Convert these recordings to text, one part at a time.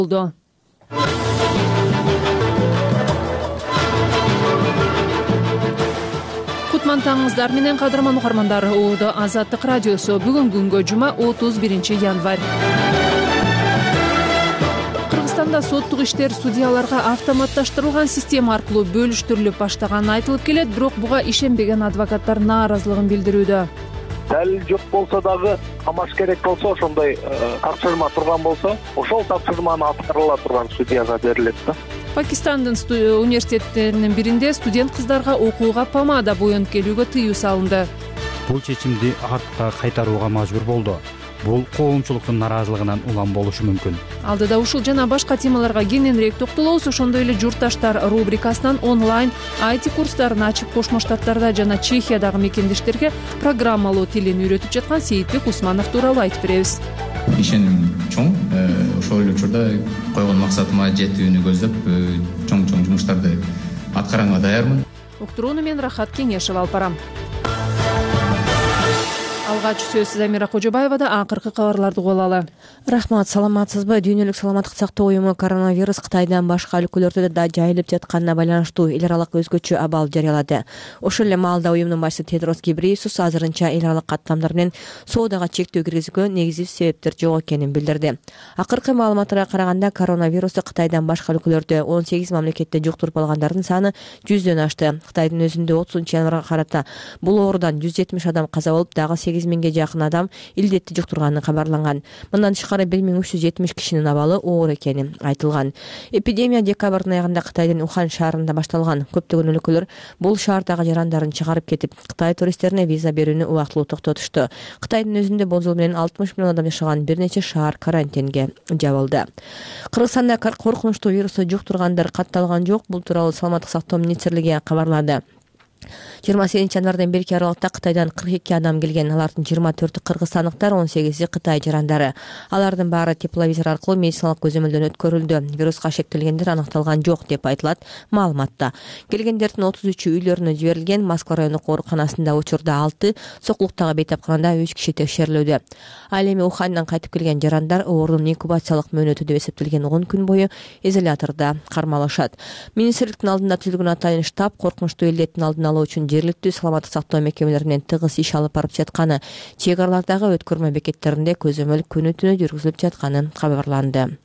болду. Кутман таңыңыздар менен кадырман угармандар. Ууда Азаттык радиосу. Бүгүнкү күнгө жума 31 январь. Кыргызстанда соттук иштер судьяларга автоматташтырылган система аркылуу бөлүштүрүлүп баштаганы айтылып келет, бирок буга ишенбеген адвокаттар нааразылыгын билдирүүдө. Далил жок болсо дагы камаш керек болсо, ошондой тапшырма турган болсо, ошол тапшырманы аткарыла турган судьяга берилет да. Пакистандын университеттеринин биринде студент кыздарга окууга помада боенуп келүүгө тыюу салынды. Бул чечимди артка кайтарууга мажбур болду. Бул коомчулуктун нараазылыгынан улам болушу мүмкүн. Алдыда ушул жана башка темаларга кененирээк токтолобуз. Ошондой эле журтташтар рубрикасынан онлайн IT курстарын ачып Кошмо Штаттарда жана Чехиядагы мекендештерге программалоо тилин үйрөтүп жаткан Сейитбек Усманов тууралуу айтып беребиз. Ишеним чоң. Ошол эле учурда койгон максатыма жетүүнү көздөп, чоң жумуштарды аткаганга даярмын. Уктурууну мен Рахат Кеңешев алып барам. Алгач сөз Замира Кожобаевада. Акыркы кабарларды угуп алалы. Рахмат, саламатсызбы? Дүйнөлүк саламаттык сактоо уюму коронавирус Кытайдан башка өлкөлөрдө да жайылып жатканына байланыштуу эл аралык өзгөчө абал жарыялады. Ошол эле маалда уюмдун башчысы Тедрос Гебрейесус азырынча эл аралык каттамдар менен соодага чектөө киргизүүгө негизсиз себептер жок экенин билдирди. Акыркы маалыматтарга караганда коронавирусту Кытайдан башка өлкөлөрдө 18 мамлекетте жуктуруп алгандардын саны 100дөн ашты. Кытайдын өзүндө 30-январга карата бул оорудан 170 адам каза болуп, дагы 8 миңге жакын адам илдетти жуктурганы кабарланган. Мындан тышкары 1370 кишинин абалы оор экени айтылган. Эпидемия декабрдын аягында Кытайдын Ухан шаарында башталган. Көптөгөн өлкөлөр бул шаардагы жарандарын чыгарып кетип, Кытай туристтерине виза берүүнү убактылуу токтотушту. Кытайдын өзүндө бул жол менен 60 миллион адам жашаган бир нече шаар карантинге жабылды. Кыргызстанда коркунучтуу вирусту жуктургандар катталган жок. Бул тууралуу Саламаттык сактоо министрлиги кабарлады. 28 январдан берки аралыкта Кытайдан 42 адам келген. Алардын 24-ü кыргызстандыктар, 18-и Кытай жарандары. Алардын баары тепловизор аркылуу медициналык көзөмөлдөн өткөрүлдү. Вируска шектелгендер аныкталган жок деп айтылат маалыматта. Келгендердин 33-ü үйлөрүнө жиберилген. Москва райондук ооруканасында учурда 6, Сокулуктагы бейтапканада 3 киши текшерилүүдө. Ал эми Ухандан кайтып келген жарандар оорунун инкубациялык мөөнөтү деп эсептелген 10 күн бою изолятордо кармалышат. Министрликтин алдында түзүлгөн атайын штаб коркунучтуу илдеттин алдын алуу үчүн жергиликтүү саламаттык сактоо мекемелеринен тыгыз иш алып барып жатканы, чек аралардагы өткөрмө бекеттеринде көзөмөл күнү-түнү жүргүзүлүп жатканы кабарланды.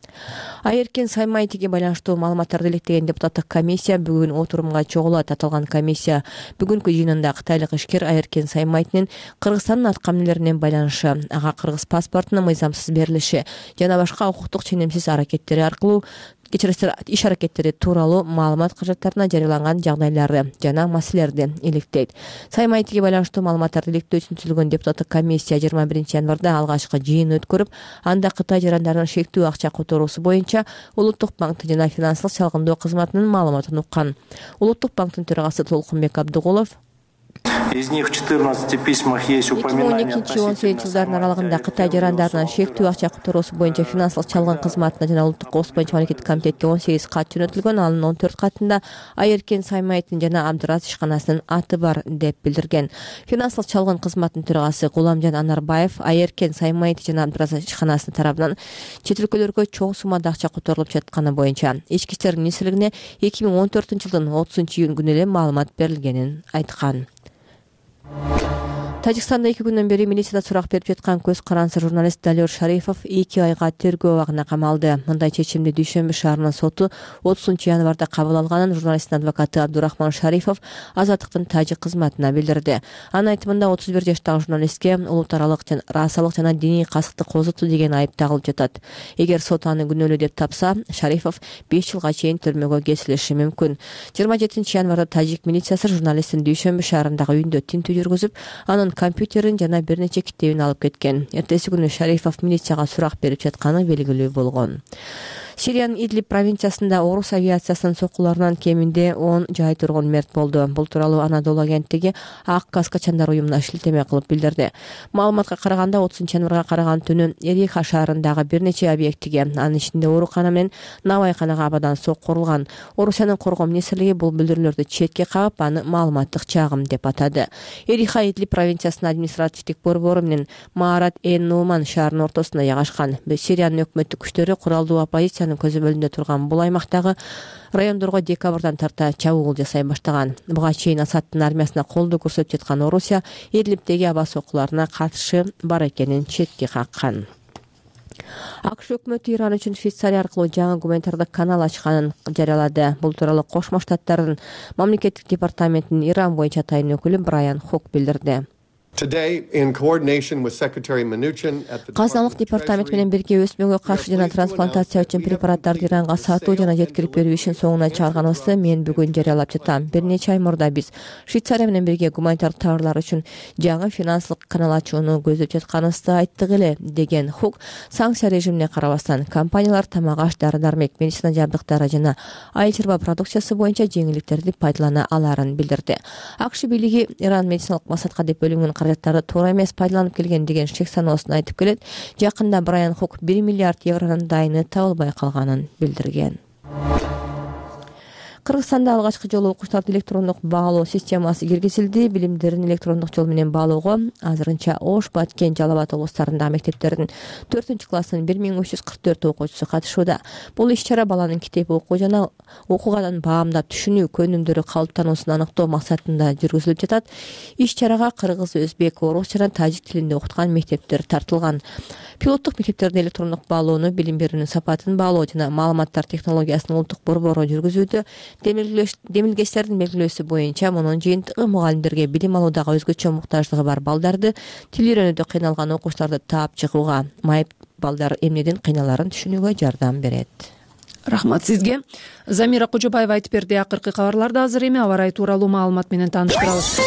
Айеркен Саймайтиге байланыштуу маалыматтарды илектеген депутаттык комиссия бүгүн отурумга чогулат. Аталган комиссия бүгүнкү жыйынында кытайлык ишкер Айеркен Саймайтинин Кыргызстандын аткы эмнелерине байланышы, ага кыргыз паспортунун мыйзамсыз берилиши жана башка укуктук ченемсиз аракеттери аркылуу иш аракеттери тууралуу маалымат каражаттарына жарыяланган жагдайларды жана маселелерди иликтейт. Саймайтиге байланыштуу маалыматтарды иликтөө үчүн түзүлгөн депутаттык комиссия 21 январда алгачкы жыйын өткөрүп, анда Кытай жарандарынын шектүү акча которуусу боюнча Улуттук банктын жана финансылык чалгындоо кызматынын маалыматын уккан. Улуттук банктын төрагасы Толкунбек Абдыгулов Из них в 14 письмах есть упоминание. 2012-2018 жылдардын аралыгында Кытай жарандарынын шектүү акча которуусу боюнча финансылык чалгын кызматына жана Улуттук коопсуздук боюнча мамлекеттик комитетке 18 кат жөнөтүлгөн. Анын 14 катында Айеркен Саймайтин жана Абдырас ишканасынын аты бар деп билдирген. Финансылык чалгын кызматынын төрагасы Гуламжан Анарбаев Айеркен Саймайтин жана Абдырас ишканасынын тарабынан чет өлкөлөргө чоң суммада акча которулуп жатканы боюнча Ички иштер министрлигине 2014 жылдын 30 күнү эле маалымат берилгенин айткан. Тажикстанда 2 күндөн бери милицияда сурак берип жаткан көз карансыз журналист Далер Шарипов 2 айга тергөө абагына камалды. Мындай чечимди Дүйшөмбү шаарынын соту 30 январда кабыл алганын журналисттин адвокаты Абдурахман Шарипов Азаттыктын тажик кызматына билдирди. Анын айтымында 31 жаштагы журналистке улут аралык жана расалык жана диний касыкты козуту деген айып тагылып жатат. Эгер сот аны күнөөлүү деп тапса, Шарипов 5 жылга чейин түрмөгө кесилиши мүмкүн. 27 январда тажик милициясы журналисттин Дүйшөмбү шаарындагы үйүндө тинтүү жүргүзүп, анын компьютерин жана бир нече китебин алып кеткен. Эртеси күнү Шарипов милицияга сурак берип жатканы белгилүү болгон. Сириянын Идлиб провинциясында орус авиациясынын соккуларынан кеминде 10 жай тургун мерт болду. Бул тууралуу Анадолу агенттиги Ак Каскачандар уюмуна шилтеме кылып билдирди. Маалыматка караганда 30 январга караган түнү Эриха шаарындагы бир нече объектиге, анын ичинде оорукана менен навайканага абадан сокку урулган. Орусиянын коргоо министрлиги бул билдирүүлөрдү четке кагып, аны маалыматтык чагым деп атады. Эриха Идлиб провинциясынын административдик борбору менен Маарат Нуман шаарынын ортосунда жайгашкан. Сириянын өкмөттүк күчтөрү куралдуу оппозицияны Кыргызстандын көзөмөлүндө турган бул аймактагы райондорго декабрдан тарта чабуул жасай баштаган. Буга чейин Асаддын армиясына колдоо көрсөтүп жаткан Орусия Идлибдеги аба сокууларына каршы бар экенин четке каккан. АКШ өкмөтү Иран үчүн Швейцария аркылуу жаңы гуманитардык канал ачканын жарыялады. Бул тууралуу Кошмо Штаттардын мамлекеттик департаментинин Иран боюнча атайын өкүлү Брайан Хук билдирди. Казыналык департамент менен бирге өсмөккө каршы жана трансплантация үчүн препараттарды Иранга сатуу жана жеткирип берүү ишин соңуна чыгарганыбызды мен бүгүн жарыялап жатам. Бир нече ай мурда биз Швейцария менен бирге гуманитардык товарлар үчүн жаңы финансылык канал ачууну көздөп жатканыбызды айттык эле, деген Хук. Санкция режимине карабастан компаниялар тамак аш, дары-дармек, медицина жабдыктары жана айыл чарба продукциясы боюнча жеңилдиктерди пайдалана аларын билдирди. АКШ бийлиги Иран медициналык максатка деп бөлүнгөн каражаттарды туура эмес пайдаланып келген деген шек саноосун айтып келет. Жакында Брайан Хук 1 миллиард евронун дайыны табылбай калганын билдирген. Кыргызстанда алгачкы жолу окуучуларды электрондук баалоо системасы киргизилди. Билимдерин электрондук жол менен баалоого азырынча Ош, Баткен, Жалал Абад облустарындагы мектептердин 4-класстын 1344 окуучусу катышууда. Бул иш-чара баланын китеп окуу жана окугадан баамдап түшүнүү көнүмдөрү калыптануусун аныктоо максатында жүргүзүлүп жатат. Иш-чарага кыргыз, өзбек, орус жана тажик тилинде окуткан мектептер тартылган. Пилоттук мектептерде электрондук баалоону, билим берүүнүн сапатын баалоо жана маалыматтар технологиясынын улуттук борбору жүргүзүүдө. Демилгечтердин белгилөөсү боюнча мунун жыйынтыгы мугалимдерге билим алуудагы өзгөчө муктаждыгы бар балдарды, тил үйрөнүүдө кыйналган окуучуларды таап чыгууга, майып балдар эмнеден кыйналарын түшүнүүгө жардам берет. Рахмат сизге. Замира Кожобаева айтып берди. Акыркы кабарларды азыр эми аба ырайы тууралуу маалымат менен тааныштырабыз.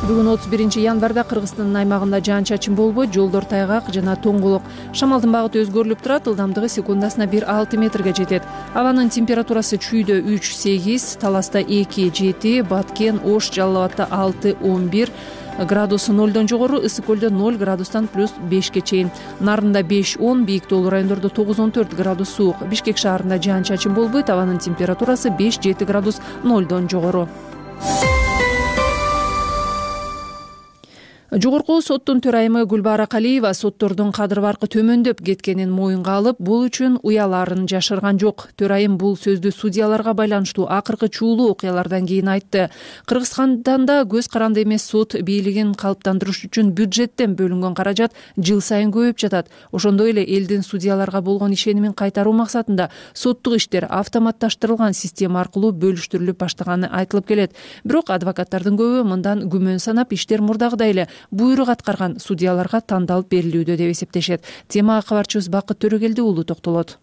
Бүгүн 31 январда Кыргызстандын аймагында жаан-чачын болбойт, жолдор тайгак жана тоңголок. Шамалдын багыты өзгөрүлүп турат, ылдамдыгы секундасына 1-6 метрге жетет. Абанын температурасы Чүйдө 3-8, Таласта 2-7, Баткен, Ош, Жалал Абадта 6-11 градус 0дон жогору, Ысык көлдө 0 градустан плюс 5ке чейин. Нарында 5-10, бийик тоолуу райондордо 9-14 градус суук. Бишкек шаарында жаан-чачын болбойт, абанын температурасы 5-7 градус 0дон жогору. Жогорку соттун төрайымы Гүлбара Калиева соттордун кадыр баркы төмөндөп кеткенин моюнга алып, бул үчүн уяларын жашырган жок. Төрайым бул сөздү судьяларга байланыштуу акыркы чуулуу окуялардан кийин айтты. Кыргызстанда көз каранды эмес сот бийлигин калыптандырыш үчүн бюджеттен бөлүнгөн каражат жыл сайын көбөйүп жатат. Ошондой эле элдин судьяларга болгон ишенимин кайтаруу максатында соттук иштер автоматташтырылган система аркылуу бөлүштүрүлүп баштаганы айтылып келет. Бирок адвокаттардын көбү мындан күмөн санап, иштер мурдагыдай эле буйрук аткарган судьяларга тандалып берилүүдө деп эсептешет. Темага кабарчыбыз Бакыт Төрөгелди уулу токтолот.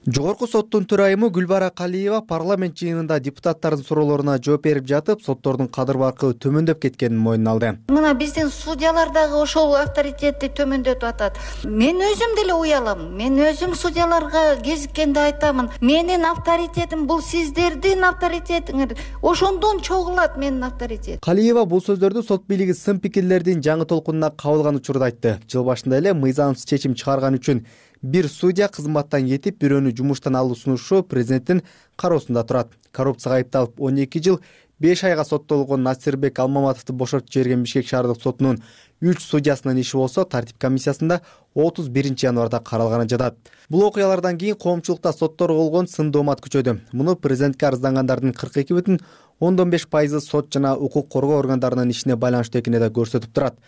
Жогорку соттун төрайымы Гүлбара Калиева парламент жыйынында депутаттардын суроолоруна жооп берип жатып, соттордун кадыр баркы төмөндөп кеткенин мойнуна алды. Мына биздин судьялар дагы ошол авторитетти төмөндөтүп атат. Мен өзүм деле уялам. Мен өзүм судьяларга кезиккенде айтамын. Менин авторитетим бул сиздердин авторитетиңер. Ошондон чогулат менин авторитетим. Калиева бул сөздөрдү сот бийлиги сын пикирлердин жаңы толкунуна кабылган учурда айтты. Жыл башында эле мыйзамсыз чечим чыгарган үчүн бир судья кызматтан кетип, бирөөнү жумуштан алуу сунушу президенттин кароосунда турат. Коррупцияга айыпталып 12 жыл 5 айга соттолгон Насирбек Алмаматовду бошотуп жиберген Бишкек шаардык сотунун 3 судьясынын иши болсо тартип комиссиясында 31 январда каралганы жатат. Бул окуялардан кийин коомчулукта сотторго болгон сын доомат күчөдү. Муну президентке арыздангандардын 42,5% сот жана укук коргоо органдарынын ишине байланыштуу экени да көрсөтүп турат.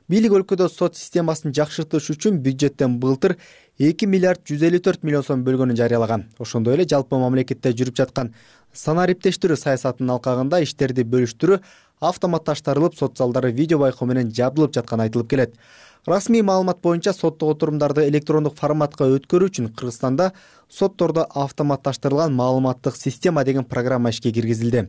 Бийлик өлкөдө сот системасын жакшыртыш үчүн бюджеттен былтыр 2 миллиард 154 миллион сом бөлгөнүн жарыялаган. Ошондой эле жалпы мамлекетте жүрүп жаткан санариптештирүү саясатынын алкагында иштерди бөлүштүрүү автоматташтырылып, сот залдары видео байкоо менен жабдылып жатканы айтылып келет. Расмий маалымат боюнча соттук отурумдарды электрондук форматка өткөрүү үчүн Кыргызстанда соттордо автоматташтырылган маалыматтык система деген программа ишке киргизилди.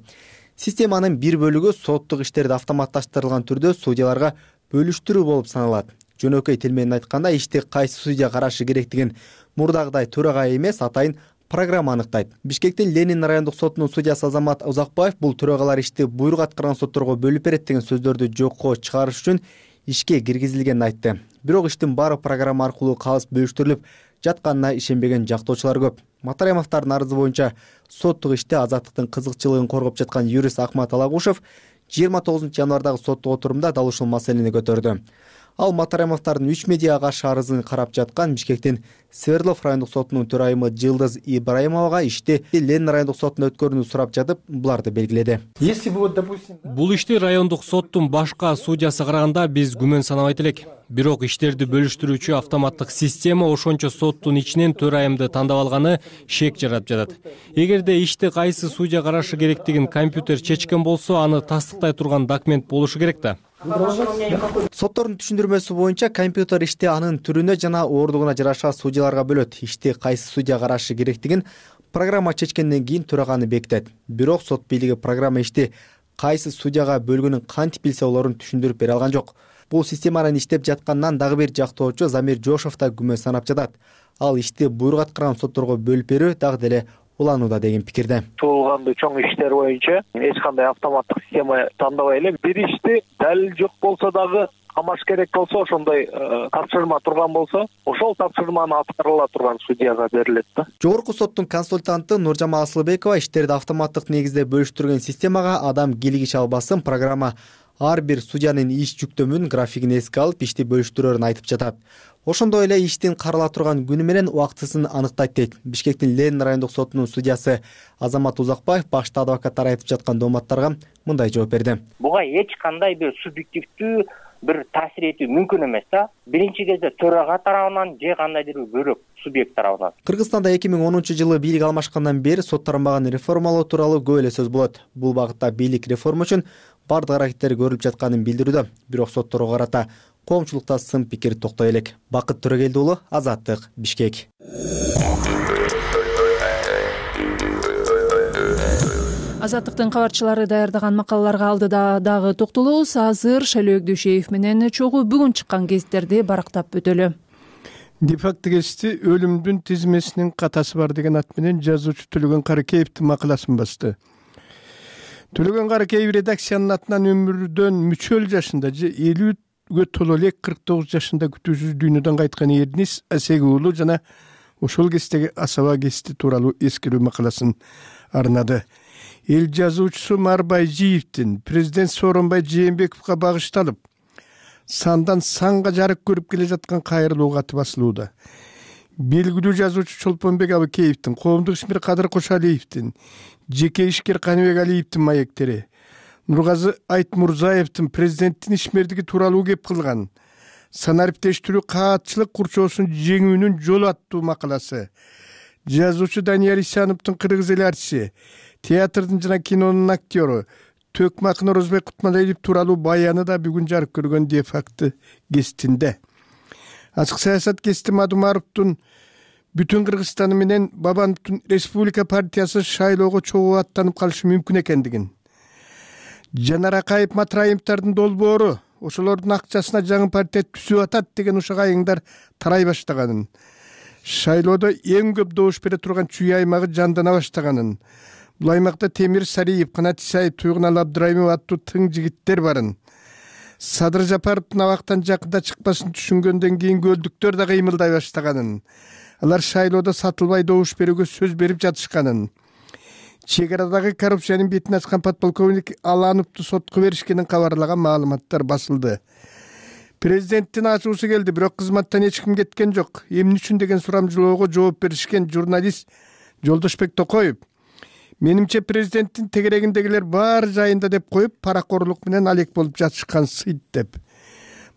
Системанын бир бөлүгү соттук иштерди автоматташтырылган түрдө судьяларга бөлүштүрүү болуп саналат. Жөнөкөй тил менен айтканда, ишти кайсы судья карашы керектигин мурдагыдай төрагай эмес, атайын программа аныктайт. Бишкектин Ленин райондук сотунун судьясы Азамат Узакбаев бул төрагалар ишти буйрук аткарган сотторго бөлүп берет деген сөздөрдү жокко чыгарыш үчүн ишке киргизилгенин айтты. Бирок иштин баары программа аркылуу калыс бөлүштүрүлүп жатканына ишенбеген жактоочулар көп. Матаремовдордун арызы боюнча соттук иште азаттыктын кызыкчылыгын коргоп жаткан юрист Акмат Алагушев 29 январдагы соттук отурумда дал ушул маселени көтөрдү. Ал Матаремовдордун 3 медиага каршы арызын карап жаткан Бишкектин Свердлов райондук сотунун төрайымы Жылдыз Ибраимовага ишти Ленин райондук сотуна өткөрүүнү сурап жатып, буларды белгиледи. Бул ишти райондук соттун башка судьясы караганда биз күмөн санабайт элек. Бирок иштерди бөлүштүрүүчү автоматтык система ошончо соттун ичинен төрайымды тандап алганы шек жаратып жатат. Эгерде ишти кайсы судья карашы керектигин компьютер чечкен болсо, аны тастыктай турган документ болушу керек да. Соттордун түшүндүрмөсү боюнча компьютер ишти анын түрүнө жана ооругуна жараша судьяларга бөлөт. Ишти кайсы судья карашы керектигин программа чечкенден кийин төраганы бекитет. Бирок сот бийлиги программа ишти кайсы судьяга бөлгөнүн кантип билсе, олорун түшүндүрүп бере алган жок. Бул системанын иштеп жатканынан дагы бир жактоочу Замир Жошов да күмөн санап жатат. Ал ишти буйрук аткарган сотторго бөлүп берүү дагы деле уланууда деген пикирде. Туулгандуу чоң иштер боюнча эч кандай автоматтык система тандабай эле бир ишти далил жок болсо дагы камаш керек болсо, ошондой тапшырма турган болсо, ошол тапшырманы аткарыла турган судьяга берилет да. Жогорку соттун консультанты Нуржамал Асылбекова иштерди автоматтык негизде бөлүштүргөн системага адам кийлигише албасын, программа ар бир судьянын иш жүктөмүн, графигин эске алып ишти бөлүштүрөөрүн айтып жатат. Ошондой эле иштин карала турган күнү менен убактысын аныктайт дейт. Бишкектин Ленин райондук сотунун судьясы Азамат Узакбаев башта адвокаттар айтып жаткан дооматтарга мындай жооп берди. Буга эч кандай бир субъективдүү бир таасир этүү мүмкүн эмес да. Биринчи кезде төрага тарабынан же кандайдыр бир бөлөк субъект тарабынан. Кыргызстанда 2010-жылы бийлик алмашкандан бери соттормаган реформалоо тууралуу көп эле сөз болот. Бул багытта бийлик реформа үчүн бардык аракеттер көрүлүп жатканын билдирүүдө. Бирок сотторго карата коомчулукта сын пикир токтой элек. Бакыт Төрөгелди уулу, Азаттык, Бишкек. Азаттыктын кабарчылары даярдаган макалаларга алдыда дагы токтолобуз. Азыр Шайлөөк Дүйшеев менен чогуу бүгүн чыккан гезиттерди барактап өтөлү. Дефакты гезити өлүмдүн тизмесинин катасы бар деген ат менен жазуучу Төлөгөн Каракеевдин макаласын басты. Төлөгөн Каракеев редакциянын атынан өмүрдөн мүчөл жашында же 50-гө толо элек 49 жашында күтүүсүз дүйнөдөн кайткан Эрнис Асеги уулу жана ошол кездеги Асаба гезити тууралуу эскерүү макаласын арнады. Эл жазуучусу Марбай Жиевдин президент Сооронбай Жээнбековго багышталып, сандан санга жарык көрүп келе жаткан кайрылуу каты басылууда. Белгилүү жазуучу Чолпонбек Абыкеевдин, коомдук ишмер Кадыр Кошалиевдин, жеке ишкер Каныбек Алиевдин маектери, Нургазы Айтмурзаевдин президенттин ишмердиги тууралуу кеп кылган санариптештирүү каатчылык курчоосун жеңүүнүн жолу аттуу макаласы, жазуучу Данияр Исановдун кыргыз эл артиси, театрдын жана кинонун актёру Төкмакын Орозбек Кутмалиев тууралуу баяны да бүгүн жарык көргөн дефакты гезитинде. Ачык саясат гезити Мадумаровдун бүтүн Кыргызстаны менен Бабановдун Республика партиясы шайлоого чогуу аттанып калышы мүмкүн экендигин, Жанар Акаев Матраимовдордун долбоору ошолордун акчасына жаңы партия түзүп атат деген ушак айыңдар тарай баштаганын, шайлоодо эң көп добуш бере турган Чүй аймагы жандана баштаганын, бул аймакта Темир Сариев, Канат Исаев, Туйгунал Абдырайымов аттуу тың жигиттер барын, Садыр Жапаровдун абактан жакында чыкпасын түшүнгөндөн кийин көлдүктөр да кыймылдай баштаганын, алар шайлоодо сатылбай добуш берүүгө сөз берип жатышканын, чек арадагы коррупциянын бетин ачкан подполковник Алановду сотко беришкенин кабарлаган маалыматтар басылды. Президенттин ачуусу келди, бирок кызматтан эч ким кеткен жок. Эмне үчүн деген сурамжылоого жооп беришкен журналист Жолдошбек Токоев менимче президенттин тегерегиндегилер бар жайында деп коюп, паракорлук менен алек болуп жатышкан сыйт деп.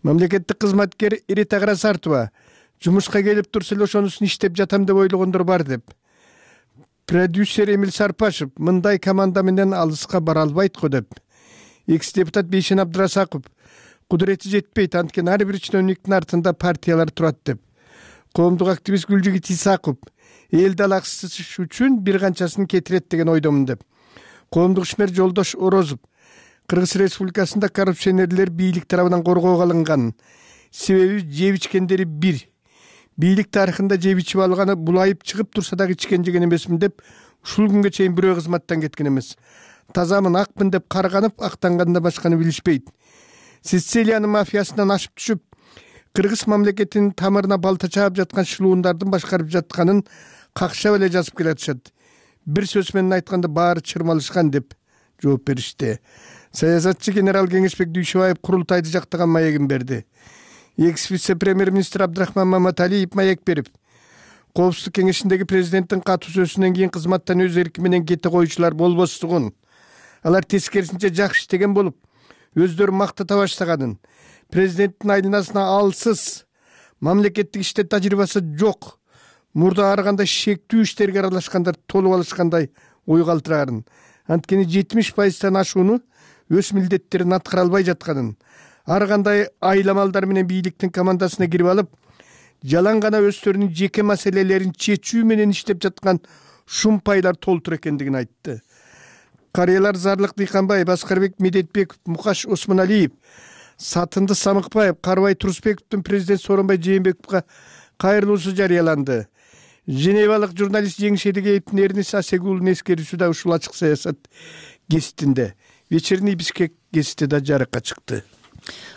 Мамлекеттик кызматкер Ирита Карасартова жумушка келип турса эле ошонусун иштеп жатам деп ойлогондор бар деп. Продюсер Эмил Сарпашев мындай команда менен алыска бара албайт го деп. Экс-депутат Бейшен Абдырасаков кудурети жетпейт, анткени ар бир чиновниктин артында партиялар турат деп. Коомдук активист Гүлжигит Исаков эл далаксыш үчүн бир канчасын кетирет деген ойдомун деп. Коомдук ишмер Жолдош Орозов Кыргыз Республикасында коррупционерлер бийлик тарабынан коргоого алынган, себеби жеп ичкендери бир. Бийлик тарыхында жеп ичип алганы булайып чыгып турса дагы ичкен жеген эмесмин деп, ушул күнгө чейин бирөө кызматтан кеткен эмес. Тазамын, акмын деп карганып, актанганда башканы билишпейт. Сицилиянын мафиясынан ашып түшүп, Кыргыз мамлекетинин тамырына балта чаап жаткан шылуундардын башкарып жатканын какшап эле жазып келатышат. Бир сөз менен айтканда баары чырмалышкан деп жооп беришти. Саясатчы генерал Кеңешбек Дүйшөбаев курултайды жактаган маегин берди. экс вице премьер-министр Абдрахман Маматалиев маек берип, Коопсуздук кеңешиндеги президенттин катуу сөзүнөн кийин кызматтан өз эрки менен кете коюучулар болбостугун, алар тескерисинче жакшы иштеген болуп, өздөрү мактата баштаганын, президенттин айланасына алсыз, мамлекеттик иште тажрыйбасы жок, мурда ар кандай шектүү иштерге аралашкандар толуп алышкандай ой калтырарын, анткени 70%тан ашууну өз милдеттерин аткара албай жатканын, ар кандай айламалдар менен бийликтин командасына кирип алып, жалаң гана өздөрүнүн жеке маселелерин чечүү менен иштеп жаткан шумпайлар толтур экендигин айтты. Карыялар Зарлык Дыйканбаев, Аскарбек Медетбеков, Мукаш Осмоналиев, Сатынды Самыкбаев, Карыбай Турусбековдун президент Сооронбай Жээнбековго кайрылуусу жарыяланды. Женевалык журналист Жеңишедиге Эрнис Асегулдун эскерүүсү да ушул ачык саясат гезитинде. Вечерний Бишкек гезити да жарыкка чыкты.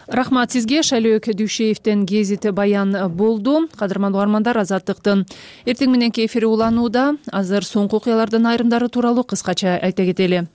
Рахмат сизге. Шайлөөк Дүйшеевден гезити баян болду. Кадырман угармандар, Азаттыктын эртең мененки эфири уланууда. Азыр соңку окуялардын айрымдары тууралуу кыскача айта кетели.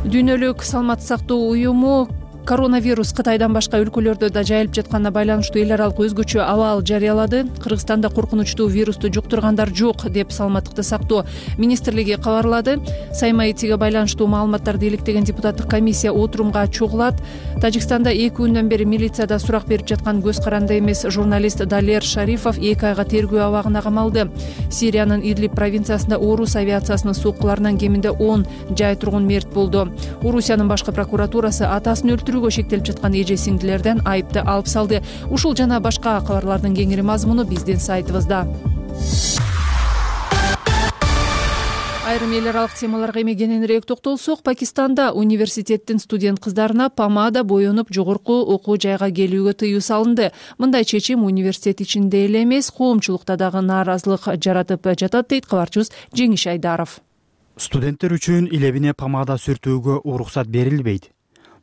Дүйнөлүк саламаттык сактоо уюму коронавирус Кытайдан башка өлкөлөрдө да жайылып жатканына байланыштуу эл аралык өзгөчө абал жарыялады. Кыргызстанда коркунучтуу вирусту жуктургандар жок деп саламаттыкты сактоо министрлиги кабарлады. Сайма итиге байланыштуу маалыматтарды иликтеген депутаттык комиссия отурумга чогулат. Тажикстанда 2 күндөн бери милицияда сурак берип жаткан көз каранды эмес журналист Далер Шарифов 2 айга тергөө абагына камалды. Сириянын Идлиб провинциясында Орус авиациясынын соккуларынан кеминде 10 жай тургун мерт болду. Орусиянын башкы прокуратурасы атасын өлтүрүүгө шектелип жаткан эже сиңдилерден айыпты алып салды. Ушул жана башка кабарлардын кеңири мазмуну биздин сайтыбызда. Айрым эл аралык темаларга эми кененирээк токтолсок, Пакистанда университеттин студент кыздарына помада боенуп жогорку окуу жайга келүүгө тыюу салынды. Мындай чечим университет ичинде эле эмес, коомчулукта дагы нааразылык жаратып жатат, дейт кабарчыбыз Жеңиш Айдаров. Студенттер үчүн илебине помада сүртүүгө уруксат берилбейт.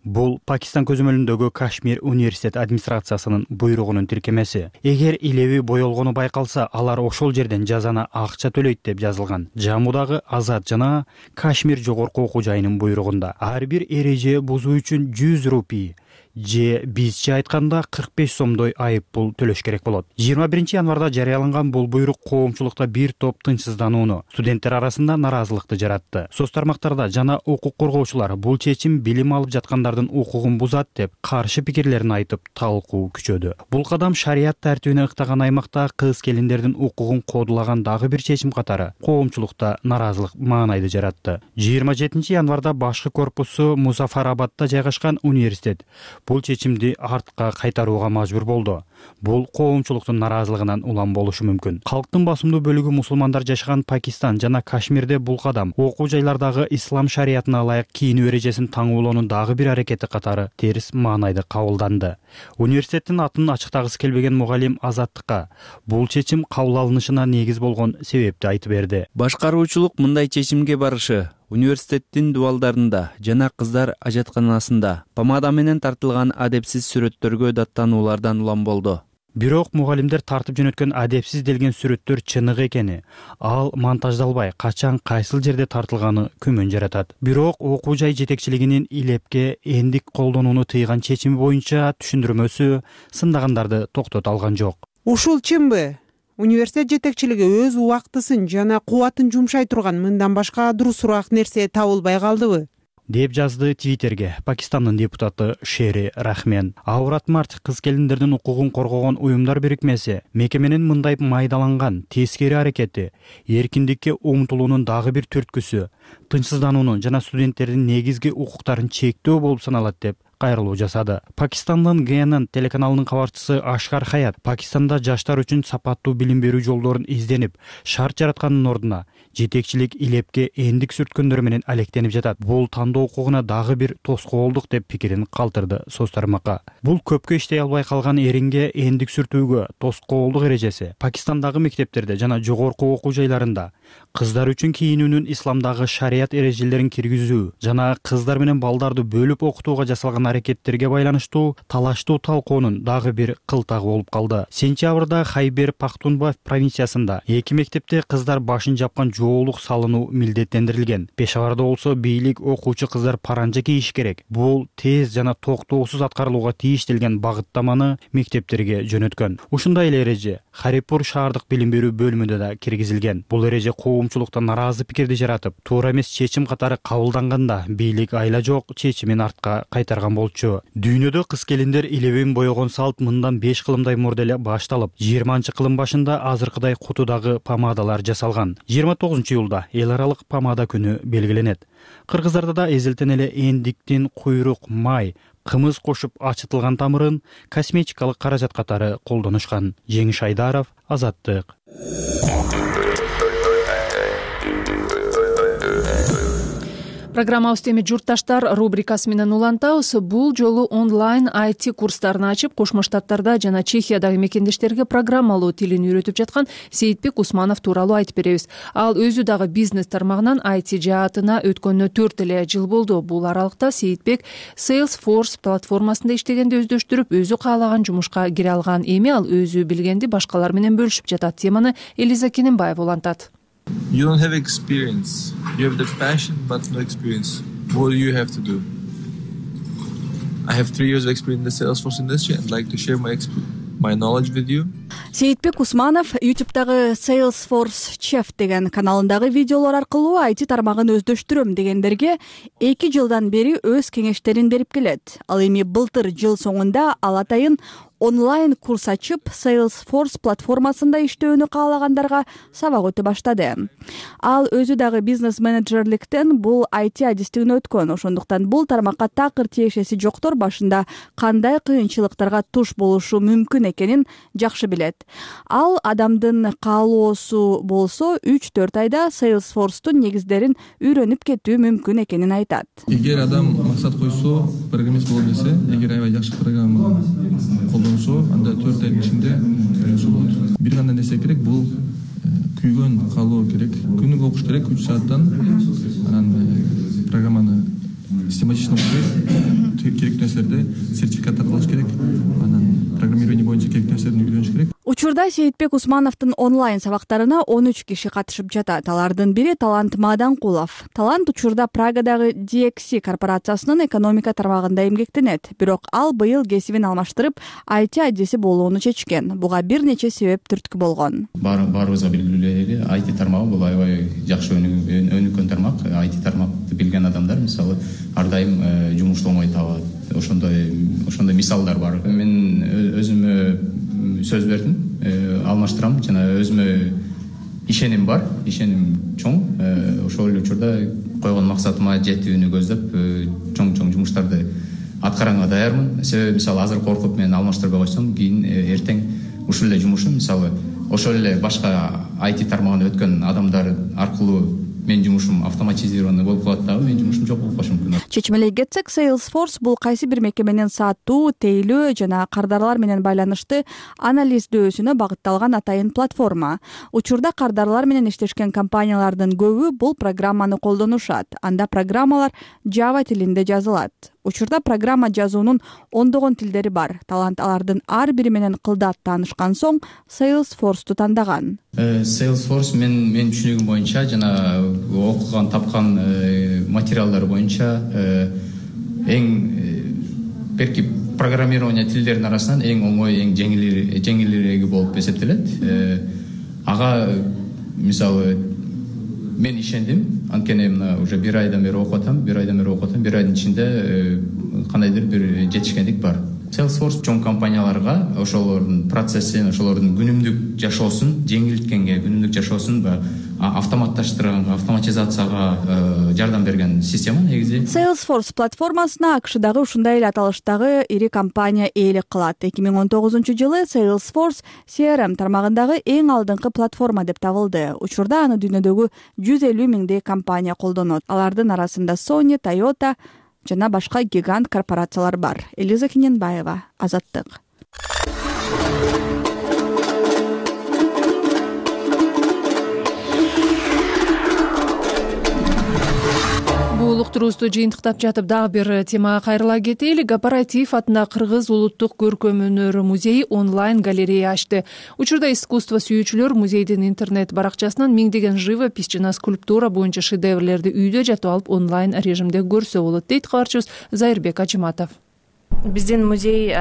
Бул Пакистан көзөмөлүндөгү Кашмир университет администрациясынын буйругунун тиркемеси. Эгер илеби боелгону байкалса, алар ошол жерден жазаны акча төлөйт деп жазылган. Жаммудагы Азат жана Кашмир жогорку окуу жайынын буйругунда ар бир эреже бузуу үчүн 100 рупий же бизче айтканда 45 сомдой айып пул төлөш керек болот. 21 январда жарыяланган бул буйрук коомчулукта бир топ тынчсызданууну, студенттер арасында наразылыкты жаратты. Соц тармактарда жана укук коргоочулар бул чечим билим алып жаткандардын укугун бузат деп каршы пикирлерин айтып талкуу күчөдү. Бул кадам шарият тартибине ыктаган аймакта кыз келиндердин укугун кодулаган дагы бир чечим катары коомчулукта наразылык маанайды жаратты. 27 январда башкы корпусу Музафарабадда жайгашкан университет бул чечимди артка кайтарууга мажбур болду. Бул коомчулуктун наразылыгынан улам болушу мүмкүн. Калктын басымдуу бөлүгү мусулмандар жашаган Пакистан жана Кашмирде бул кадам окуу жайлардагы ислам шариятына ылайык кийинүү эрежесин таңуулоонун дагы бир аракети катары терс маанайды кабылданды. Университеттин атын ачыктагысы келбеген мугалим Азаттыкка бул чечим кабыл алынышына негиз болгон себепти айтып берди. Башкаруучулук мындай чечимге барышы университеттин дубалдарында жана кыздар ажатканасында помада менен тартылган адепсиз сүрөттөргө даттануулардан улам болду. Бирок мугалимдер тартып жөнөткөн адепсиз делген сүрөттөр чыныгы экени, ал монтаждалбай, качан кайсыл жерде тартылганы күмөн жаратат. Бирок окуу жай жетекчилигинин илепке эндик колдонууну тыйган чечими боюнча түшүндүрмөсү сындагандарды токтото алган жок. Ушул чынбы? Университет жетекчилиги өз убактысын жана кубатын жумшай турган мындан башка дурусураак нерсе табылбай калдыбы? Деп жазды Твиттерге Пакистандын депутаты Шери Рахмен. Аурат Март кыз келиндердин укугун коргогон уюмдар бирикмеси мекеменин мындай майдаланган тескери аракети эркиндикке умтулуунун дагы бир түрткүсү, тынчсыздануунун жана студенттердин негизги укуктарын чектөө болуп саналат деп кайрылуу жасады. Пакистандын ГНН телеканалынын кабарчысы Ашкар Хаят Пакистанда жаштар үчүн сапаттуу билим берүү жолдорун изденип, шарт жараткандын ордуна жетекчилик илепке эндик сүрткөндөр менен алектенип жатат. Бул тандоо укугуна дагы бир тоскоолдук деп пикирин калтырды соц тармакка. Бул көпкө иштей албай калган эринге эндик сүртүүгө тоскоолдук эрежеси Пакистандагы мектептерде жана жогорку окуу жайларында кыздар үчүн кийинүүнүн исламдагы шарият эрежелерин киргизүү жана кыздар менен балдарды бөлүп окутууга жасалган аракеттерге байланыштуу талаштуу талкуунун дагы бир кылтагы болуп калды. Сентябрда Хайбер Пахтунба провинциясында 2 мектепте кыздар башын жапкан жоолук салынуу милдеттендирилген. Пешаварда болсо бийлик окуучу кыздар паранжа кийиш керек. Бул тез жана токтоосуз аткарылууга тийиштелген багыттаманы мектептерге жөнөткөн. Ушундай эле эреже Харипур шаардык билим берүү бөлүмүндө да киргизилген. Бул эреже коомчулукта наразы пикирди жаратып, туура эмес чечим катары кабылданганда бийлик айла жок чечимин артка кайтарган болчу. Дүйнөдө кыз келиндер илебин боёгон салт мындан 5 кылымдай мурда эле башталып, 20-кылым башында азыркыдай кутудагы помадалар жасалган. 29-июлда эл аралык помада күнү белгиленет. Кыргыздарда да эзелтен эле эндиктин куйрук, май, кымыз кошуп ачытылган тамырын косметикалык каражат катары колдонушкан. Жеңиш Айдаров, Азаттык. Программабыз теме журтташтар рубрикасы менен улантабыз. Бул жолу онлайн IT курстарын ачып, Кошмо Штаттарда жана Чехиядагы мекендештерге программалоо тилин үйрөтүп жаткан Сейитбек Усманов тууралуу айтып беребиз. Ал өзү дагы бизнес тармагынан IT жаатына өткөнүнө 4 эле жыл болду. Бул аралыкта Сейитбек Salesforce платформасында иштегенди өздөштүрүп, өзү каалаган жумушка кире алган. Эми ал өзү билгенди башкалар менен бөлүшүп жатат. Теманы Элиза Кененбаева улантат. You don't have experience. You have the passion, but no experience. What do you have to do? I have 3 years of experience in the Salesforce industry and I'd like to share my knowledge with you. Сейитбек Усманов YouTube'дагы Salesforce Chef деген каналындагы видеолор аркылуу IT тармагын өздөштүрөм дегендерге 2 жылдан бери өз кеңештерин берип келет. Ал эми былтыр жыл соңунда ал атайын онлайн курс ачып, Salesforce платформасында иштөөнү каалагандарга сабак өтө баштады. Ал өзү дагы бизнес менеджерликтен бул IT адистигин өткөн. Ошондуктан бул тармакка такыр тиешеси жоктор башында кандай кыйынчылыктарга туш болушу мүмкүн экенин жакшы билет. Ал адамдын каалоосу болсо 3-4 айда Salesforce'тун негиздерин үйрөнүп кетүү мүмкүн экенин айтат. Эгер адам максат койсо, программист боло билсе, эгер аябай жакшы программа колдонсо, анда 4 айдын ичинде үйрөнсө болот. Бир гана нерсе керек, бул күйгөн каалоо керек. Күнүгө окуш керек 3 сааттан. Анан программаны систематично окуп, керектүү нерселерди сертификаттар алыш керек. Анан программирование боюнча керектүү нерселерди үйрөнүш керек. Учурда Сейитбек Усмановдун онлайн сабактарына 13 киши катышып жатат. Алардын бири Талант Маданкулов. Талант учурда Прагадагы DXC корпорациясынын экономика тармагында эмгектенет. Бирок ал быйыл кесибин алмаштырып, IT адиси болууну чечкен. Буга бир нече себеп түрткү болгон. Баарыбызга белгилүү эле, IT тармагы бул аябай жакшы өнүккөн тармак. IT тармакты билген адамдар, мисалы, ар дайым жумушту оңой табат. Ошондой мисалдар бар. Мен өзүмө сөз бердим, алмаштырам жана өзүмө ишеним бар, ишеним чоң. Ошол эле учурда койгон максатыма жетүүнү көздөп, чоң жумуштарды аткаранга даярмын. Себеби мисалы азыр коркуп мен алмаштырбай койсом, кийин эртең ушул эле жумушум, мисалы ошол эле башка IT тармагына өткөн адамдар аркылуу мен жумушум автоматизированный болуп калат дагы, мен жумушум жок болуп калышы мүмкүн. Чечмелей кетсек, Salesforce бул кайсы бир мекеменин сатуу, тейлөө жана кардарлар менен байланышты анализдөөсүнө багытталган атайын платформа. Учурда кардарлар менен иштешкен компаниялардын көбү бул программаны колдонушат. Анда программалар Java тилинде жазылат. Учурда программа жазуунун ондогон тилдери бар. Талант алардын ар бири менен кылдат таанышкан соң Salesforce'ту тандаган. Salesforce мен түшүнүгүм боюнча жана окуган тапкан материалдар боюнча эң берки программирование тилдеринин арасынан эң оңой, эң жеңилиреги болуп эсептелет. Ага мисалы мен ишендим, анткени мына уже 1 айдан бери окуп атам, 1 айдын ичинде кандайдыр бир жетишкендик бар. Salesforce чоң компанияларга ошолордун процессин, ошолордун күнүмдүк жашоосун жеңилткенге, күнүмдүк жашоосун автоматташтырганга, автоматизацияга жардам берген система негизи. Salesforce платформасына АКШдагы ушундай эле аталыштагы ири компания ээлик кылат. 2019-жылы Salesforce CRM тармагындагы эң алдыңкы платформа деп табылды. Учурда аны дүйнөдөгү 150 миңдей компания колдонот. Алардын арасында Sony, Toyota жана башка гигант корпорациялар бар. Элиза Кененбаева, Азаттык. улуктуруубузду жыйынтыктап жатып дагы бир темага кайрыла кетели. Гапараитиев атындагы Кыргыз улуттук көркөм өнөр музейи онлайн галерея ачты. Учурда искусство сүйүүчүлөр музейдин интернет баракчасынан миңдеген живопись жана скульптура боюнча шедеврлерди үйдө жатып алып онлайн режимде көрсө болот, дейт кабарчыбыз Зайырбек Ажыматов. Биздин музей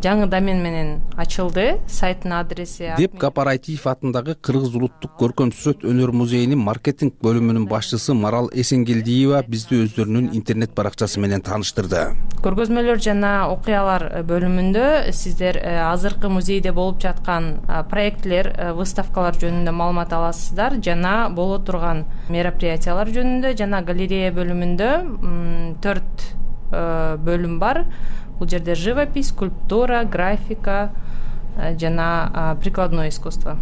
жаңы домен менен ачылды. Сайттын адреси деп Гапараитиев атындагы Кыргыз улуттук көркөм сүрөт өнөр музейинин маркетинг бөлүмүнүн башчысы Марал Эсенгелдиева бизди өздөрүнүн интернет баракчасы менен тааныштырды. Көргөзмөлөр жана окуялар бөлүмүндө сиздер азыркы музейде болуп жаткан проектлер, выставкалар жөнүндө маалымат аласыздар, жана боло турган мероприятиялар жөнүндө, жана галерея бөлүмүндө 4 бөлүм бар. Бул жерде живопись, скульптура, графика жана прикладное искусство.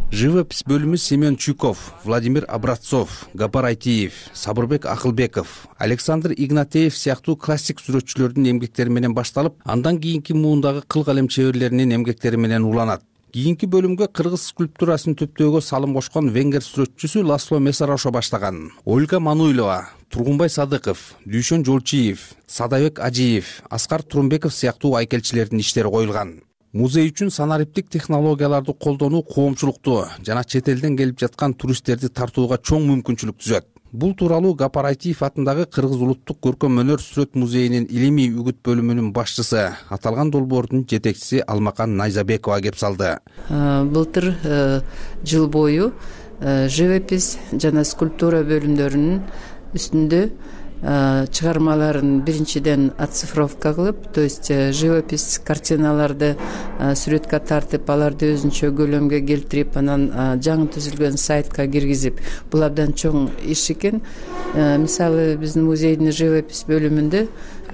Живопись бөлүмү Семен Чуков, Владимир Образцов, Гапараитиев, Сабырбек Акылбеков, Александр Игнатеев сыяктуу классик сүрөтчүлөрдүн эмгектери менен башталып, андан кийинки муундагы кыл калем чеберлеринин эмгектери менен уланат. Кийинки бөлүмгө кыргыз скульптурасын төптөөгө салым кошкон венгер сүрөтчүсү Ласло Месарошо баштаган. Ольга Мануйлова, Тургунбай Садыков, Дүйшөн Жолчиев, Садабек Ажиев, Аскар Турумбеков сыяктуу айкелчилердин иштери коюлган. Музей үчүн санариптик технологияларды колдонуу коомчулукту жана чет элден келип жаткан туристтерди тартууга чоң мүмкүнчүлүк түзөт. Бул тууралуу Гапараитиев атындагы Кыргыз улуттук көркөм өнөр сүрөт музейинин илимий үгүт бөлүмүнүн башчысы, аталган долбоордун жетекчиси Алмакан Найзабекова кеп салды. Былтыр жыл бою живопись жана скульптура бөлүмдөрүнүн үстүндө чыгармаларын биринчиден оцифровка кылып, то есть живопись картиналарды сүрөткө тартып, аларды өзүнчө көлөмгө келтирип, анан жаңы түзүлгөн сайтка киргизип, бул абдан чоң иш экен. Мисалы, биздин музейдин живопись бөлүмүндө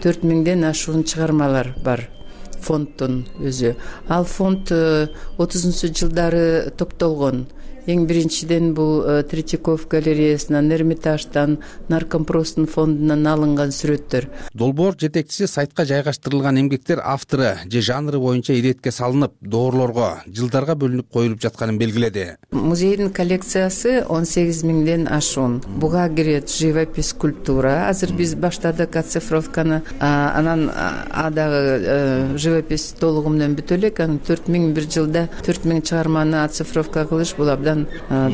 4000ден ашуун чыгармалар бар. Фонддун өзү. Ал фонд 30-жылдары топтолгон. Эң биринчиден бул Третьяков галереясынан, Эрмитаждан, Наркомпростун фондунан алынган сүрөттөр. Долбоор жетекчиси сайтка жайгаштырылган эмгектер автору же жанры боюнча иретке салынып, доорлорго, жылдарга бөлүнүп коюлуп жатканын белгиледи. Музейдин коллекциясы 18.000ден ашуун. Буга кирет живопись, скульптура. Азыр биз баштадык оцифровканы, анан дагы живопись толугу менен бүтө элек. 4000 бир жылда 4000 чыгарманы оцифровка кылыш бул абдан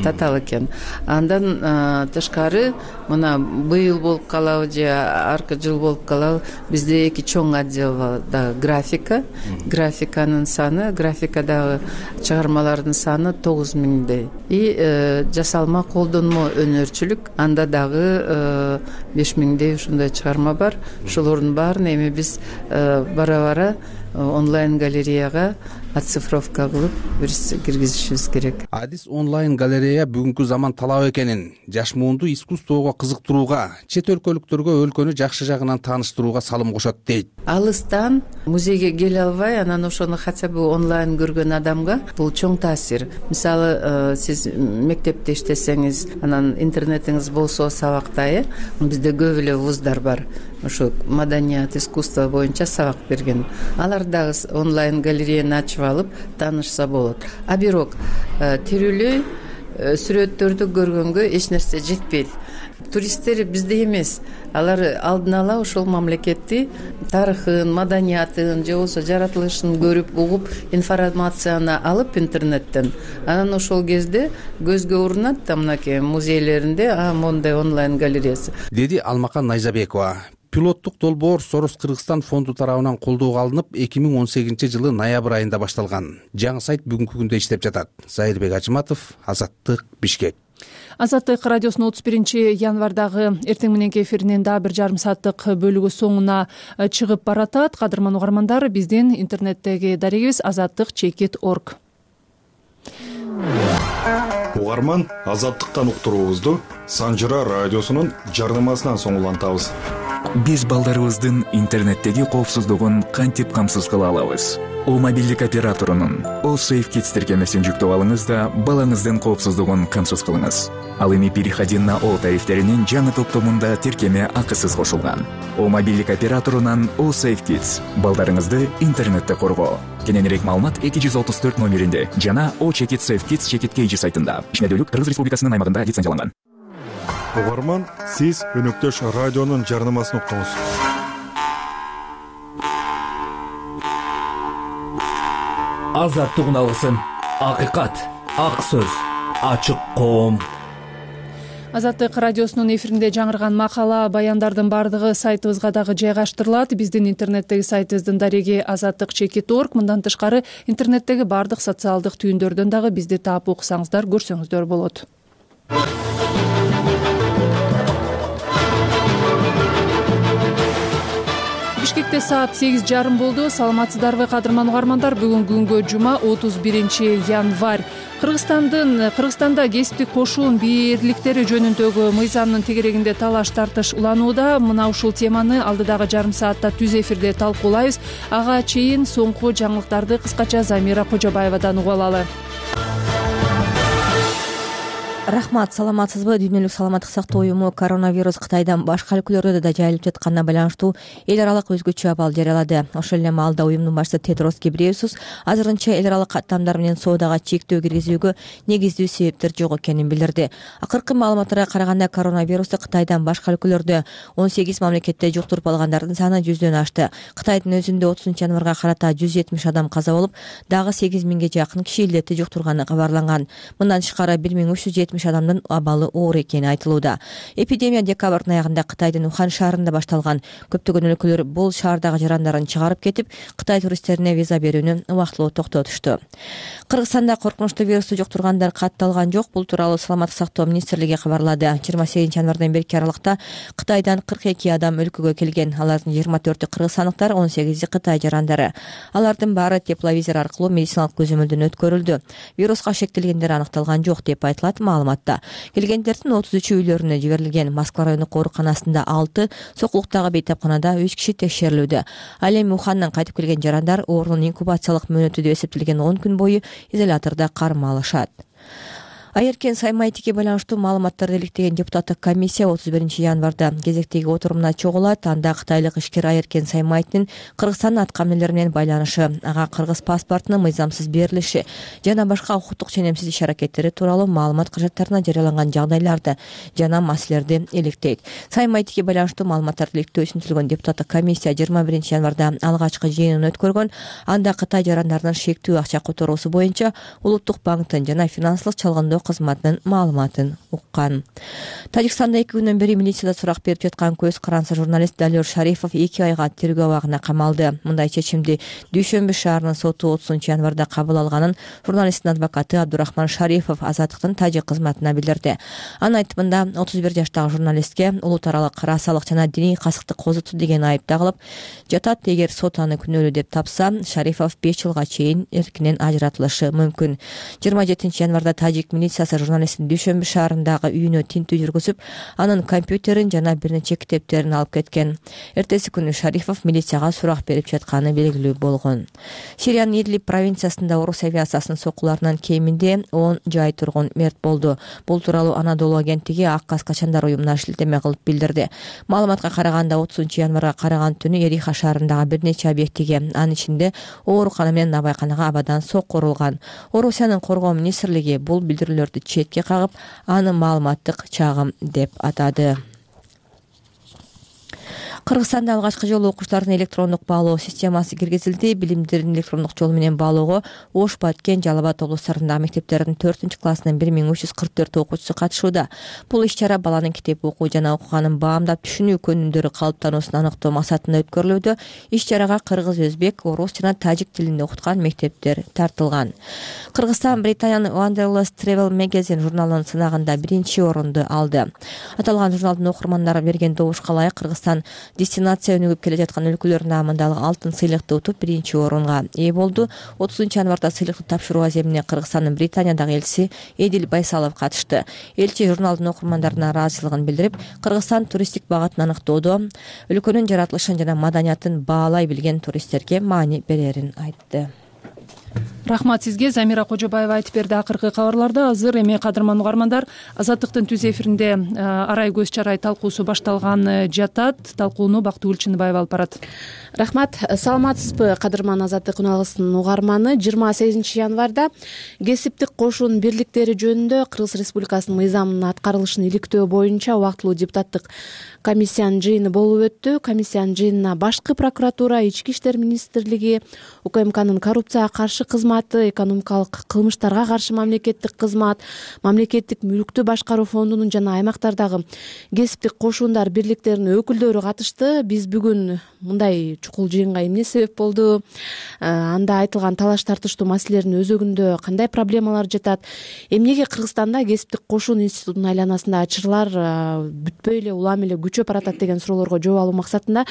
татаал экен. Андан тышкары мына быйыл болуп калабы же аркы жыл болуп калабы, бизде 2 чоң отдел да графика. Графиканын саны, графикадагы чыгармалардын саны 9000дей. И жасалма колдонмо өнөрчүлүк, анда дагы 5000дей ушундай чыгарма бар. Ошолордун баарын эми биз бара-бара онлайн галереяга оцифровка кылып киргизишибиз керек. Адис онлайн галерея бүгүнкү заман талап экенин, жаш муунду искусствого кызыктырууга, чет өлкөлүктөргө өлкөнү жакшы жагынан тааныштырууга салым кошот, дейт. Алыстан музейге келе албай, анан ошону хотя бы онлайн көргөн адамга бул чоң таасир. Мисалы, сиз мектепте иштесеңиз, анан интернетиңиз болсо сабакта, бизде көп эле вуздар бар. Ошо маданият, искусство боюнча сабак берген. Алар дагы онлайн галереяны ачып алып таанышса болот. А бирок тирүүлөй сүрөттөрдү көргөнгө эч нерсе жетпейт. Туристтер бизде эмес. Алар алдын ала ошол мамлекетти тарыхын, маданиятын, же болбосо жаратылышын көрүп, угуп, информацияны алып интернеттен. Анан ошол кезде көзгө урунат да мынакей музейлеринде мондай онлайн галереясы. Деди Алмакан Найзабекова. Пилоттук долбоор Сорос Кыргызстан фонду тарабынан колдоого алынып, 2018-жылы ноябрь айында башталган. Жаңы сайт бүгүнкү күндө иштеп жатат. Зайырбек Ажыматов, Азаттык, Бишкек. Азаттык радиосунун 31-январдагы эртең мененки эфиринин дагы бир жарым сааттык бөлүгү соңуна чыгып баратат. Кадырман угармандар, биздин интернеттеги дарегибиз azattik.org. Угарман, Азаттыктан уктуруубузду Санжыра радиосунун жарнамасынан соң улантабыз. Биз балдарыбыздын интернеттеги коопсуздугун кантип камсыз кыла алабыз? О мобилдик операторунун О Safe Kids тиркемесин жүктөп алыңыз да балаңыздын коопсуздугун камсыз кылыңыз. Ал эми переходи на О тарифтеринин жаңы топтомунда тиркеме акысыз кошулган. О мобилдик операторунан О Safe Kids балдарыңызды интернетте коргоо. Кененирээк маалымат 234 номеринде жана О Check It Safe Kids Check It KG сайтында. Ишмердүүлүк Кыргыз Республикасынын аймагында лицензияланган. угарман, сиз Өнөктөш радионун жарнамасын уктуңуз. Азаттык алгысын, акыйкат, ак сөз, ачык коом. Азаттык радиосунун эфиринде жаңырган макала, баяндардын бардыгы сайтыбызга дагы жайгаштырылат. Биздин интернеттеги сайтыбыздын дареги azattik.org. Мындан тышкары интернеттеги бардык социалдык түйүндөрдөн дагы бизди таап уксаңыздар, көрсөңүздөр болот. Бишкекте саат 8:30 болду. Саламатсыздарбы, кадырман угармандар? Бүгүнкү күнгө жума 31 январь. Кыргызстанда кесиптик кошун бирликтери жөнүндөгү мыйзамдын тегерегинде талаш тартыш уланууда. Мына ушул теманы алдыдагы жарым саатта түз эфирде талкуулайбыз. Ага чейин соңку жаңылыктарды кыскача Замира Кожобаевадан угуп алалы. Рахмат, саламатсызбы? Дүйнөлүк саламаттык сактоо уюму коронавирус Кытайдан башка өлкөлөрдө да жайылып жатканына байланыштуу эл аралык өзгөчө абал жарыялады. Ошол эле маалда уюмдун башчысы Тедрос Гебрейесус азырынча эл аралык каттамдар менен соодага чектөө киргизүүгө негиздүү себептер жок экенин билдирди. Акыркы маалыматтарга караганда коронавирусту Кытайдан башка өлкөлөрдө 18 мамлекетте жуктуруп алгандардын саны 100дөн ашты. Кытайдын өзүндө 30 январга карата 170 адам каза болуп, дагы 8000ге жакын киши илдетти жуктурганы кабарланган. Мындан тышкары 1370 адамдын абалы оор экени айтылууда. Эпидемия декабрдын аягында Кытайдын Ухан шаарында башталган. Көптөгөн өлкөлөр бул шаардагы жарандарын чыгарып кетип, Кытай туристтерине виза берүүнү убактылуу токтотушту. Кыргызстанда коркунучтуу вирусту жуктургандар катталган жок. Бул тууралуу Саламаттык сактоо министрлиги кабарлады. 28 январдан берки аралыкта Кытайдан 42 адам өлкөгө келген. Алардын 24-ü кыргызстандыктар, 18-и Кытай жарандары. Алардын баары тепловизор аркылуу медициналык көзөмөлдөн өткөрүлдү. Вируска шектелгендер аныкталган жок деп айтылат маалыматта. Келгендердин 33-ü үйлөрүнө жиберилген. Москва райондук ооруканасында 6, Сокулуктагы бейтапканада 3 киши текшерилүүдө. Ал эми Ухандан кайтып келген жарандар оорунун инкубациялык мөөнөтү деп эсептелген 10 күн бою изолятордо кармалышат. Айеркен Саймайтике байланыштуу маалыматтарды иликтеген депутаттык комиссия 31 январда кезектеги отурумуна чогулат. Анда кытайлык ишкер Айеркен Саймайтинин Кыргызстандын аткаминелери менен байланышы, ага кыргыз паспортунун мыйзамсыз берилиши жана башка укуктук ченемсиз иш-аракеттери тууралуу маалымат кажаттарына жарыяланган жагдайларды жана маселелерди иликтейт. Саймайтике байланыштуу маалыматтарды иликтөө үчүн түзүлгөн депутаттык комиссия 21 январда алгачкы жыйынын өткөргөн. Анда Кытай жарандарынын шектүү акча которуусу боюнча Улуттук банктын жана финансылык чалгындоо кызматынын маалыматын уккан. Тажикстанда 2 күндөн бери милицияда сурак берип жаткан көз карансы журналист Далер Шарифов 2 айга тергөө абагына камалды. Мындай чечимди Дүйшөмбү шаарынын соту 30 январда кабыл алганын журналисттин адвокаты Абдурахман Шарифов Азаттыктын тажик кызматына билдирди. Анын айтымында 31 жаштагы журналистке улут аралык расалык жана диний касыктык козуту деген айып тагылып жатат. Эгер сот аны күнөөлүү деп тапса, Шарифов 5 жылга чейин эркинен ажыратылышы мүмкүн. 27 январда тажик милициясы журналисттин Дүйшөмбү шаарындагы үйүнө тинтүү жүргүзүп, анын компьютерин жана бир нече китептерин алып кеткен. Эртеси күнү Шарифов милицияга сурак берип жатканы белгилүү болгон. Сириянын Идлиб провинциясында орус авиациясынын соккуларынан кеминде 10 жай тургун мерт болду. Бул тууралуу Анадолу агенттиги Ак Кас качандар уюмуна шилтеме кылып билдирди. Маалыматка караганда 30 январга караган түнү Эриха шаарындагы бир нече объектиге, анын ичинде оорукана менен набайканага абадан сокку урулган. Орусиянын коргоо министрлиги бул билдирүүлөрдү четке кагып, аны маалыматтык чагым деп атады. Кыргызстанда алгачкы жолу окуучулардын электрондук баалоо системасы киргизилди. Билимдерин электрондук жол менен баалоого Ош, Баткен, Жалал Абад облустарындагы мектептердин 4-классынын 1344 окуучусу катышууда. Бул иш-чара баланын китеп окуу жана окуганын баамдап түшүнүү көнүмдөрү калыптануусун аныктоо максатында өткөрүлүүдө. Иш-чарага кыргыз, өзбек, орус жана тажик тилинде окуткан мектептер тартылган. Кыргызстан Британиянын Wanderlust Travel Magazine журналынын сынагында 1-орунду алды. Аталган журналдын окурмандары берген добушка ылайык Кыргызстан дестинация өнүгүп келе жаткан өлкөлөрдүн наамындагы алтын сыйлыкты утуп 1-орунга ээ болду. 30 январда сыйлыкты тапшыруу аземине Кыргызстандын Британиядагы элчиси Эдил Байсалов катышты. Элчи журналдын окурмандарына ыраазычылыгын билдирип, Кыргызстан туристтик багытын аныктоодо өлкөнүн жаратылышын жана маданиятын баалай билген туристтерге маани берерин айтты. Рахмат сизге. Замира Кожобаева айтып берди акыркы кабарларда. Азыр эми кадырман угармандар, Азаттыктын түз эфиринде арай көз чарай талкуусу башталган жатат. Талкууну Бактыгүл Чыныбаева алып барат. Рахмат. Саламатсызбы, кадырман Азаттык үналгысынын угарманы. 28 январда кесиптик кошун бирликтери жөнүндө Кыргыз Республикасынын мыйзамынын аткарылышын иликтөө боюнча убактылуу депутаттык комиссиянын жыйыны болуп өттү. Комиссиянын жыйынына башкы прокуратура, Ички иштер министрлиги, УКМКнын коррупцияга каршы кызматы, экономикалык кылмыштарга каршы мамлекеттик кызмат, мамлекеттик мүлктү башкаруу фондунун жана аймактардагы кесиптик кошундар бирликтеринин өкүлдөрү катышты. Биз бүгүн мындай чукул жыйынга эмне себеп болду? Анда айтылган талаш тартыштуу маселелердин өзөгүндө кандай проблемалар жатат? Эмнеге Кыргызстанда кесиптик кошун институтунун айланасында чырлар бүтпөй эле улам эле күчөп баратат деген суроолорго жооп алуу максатында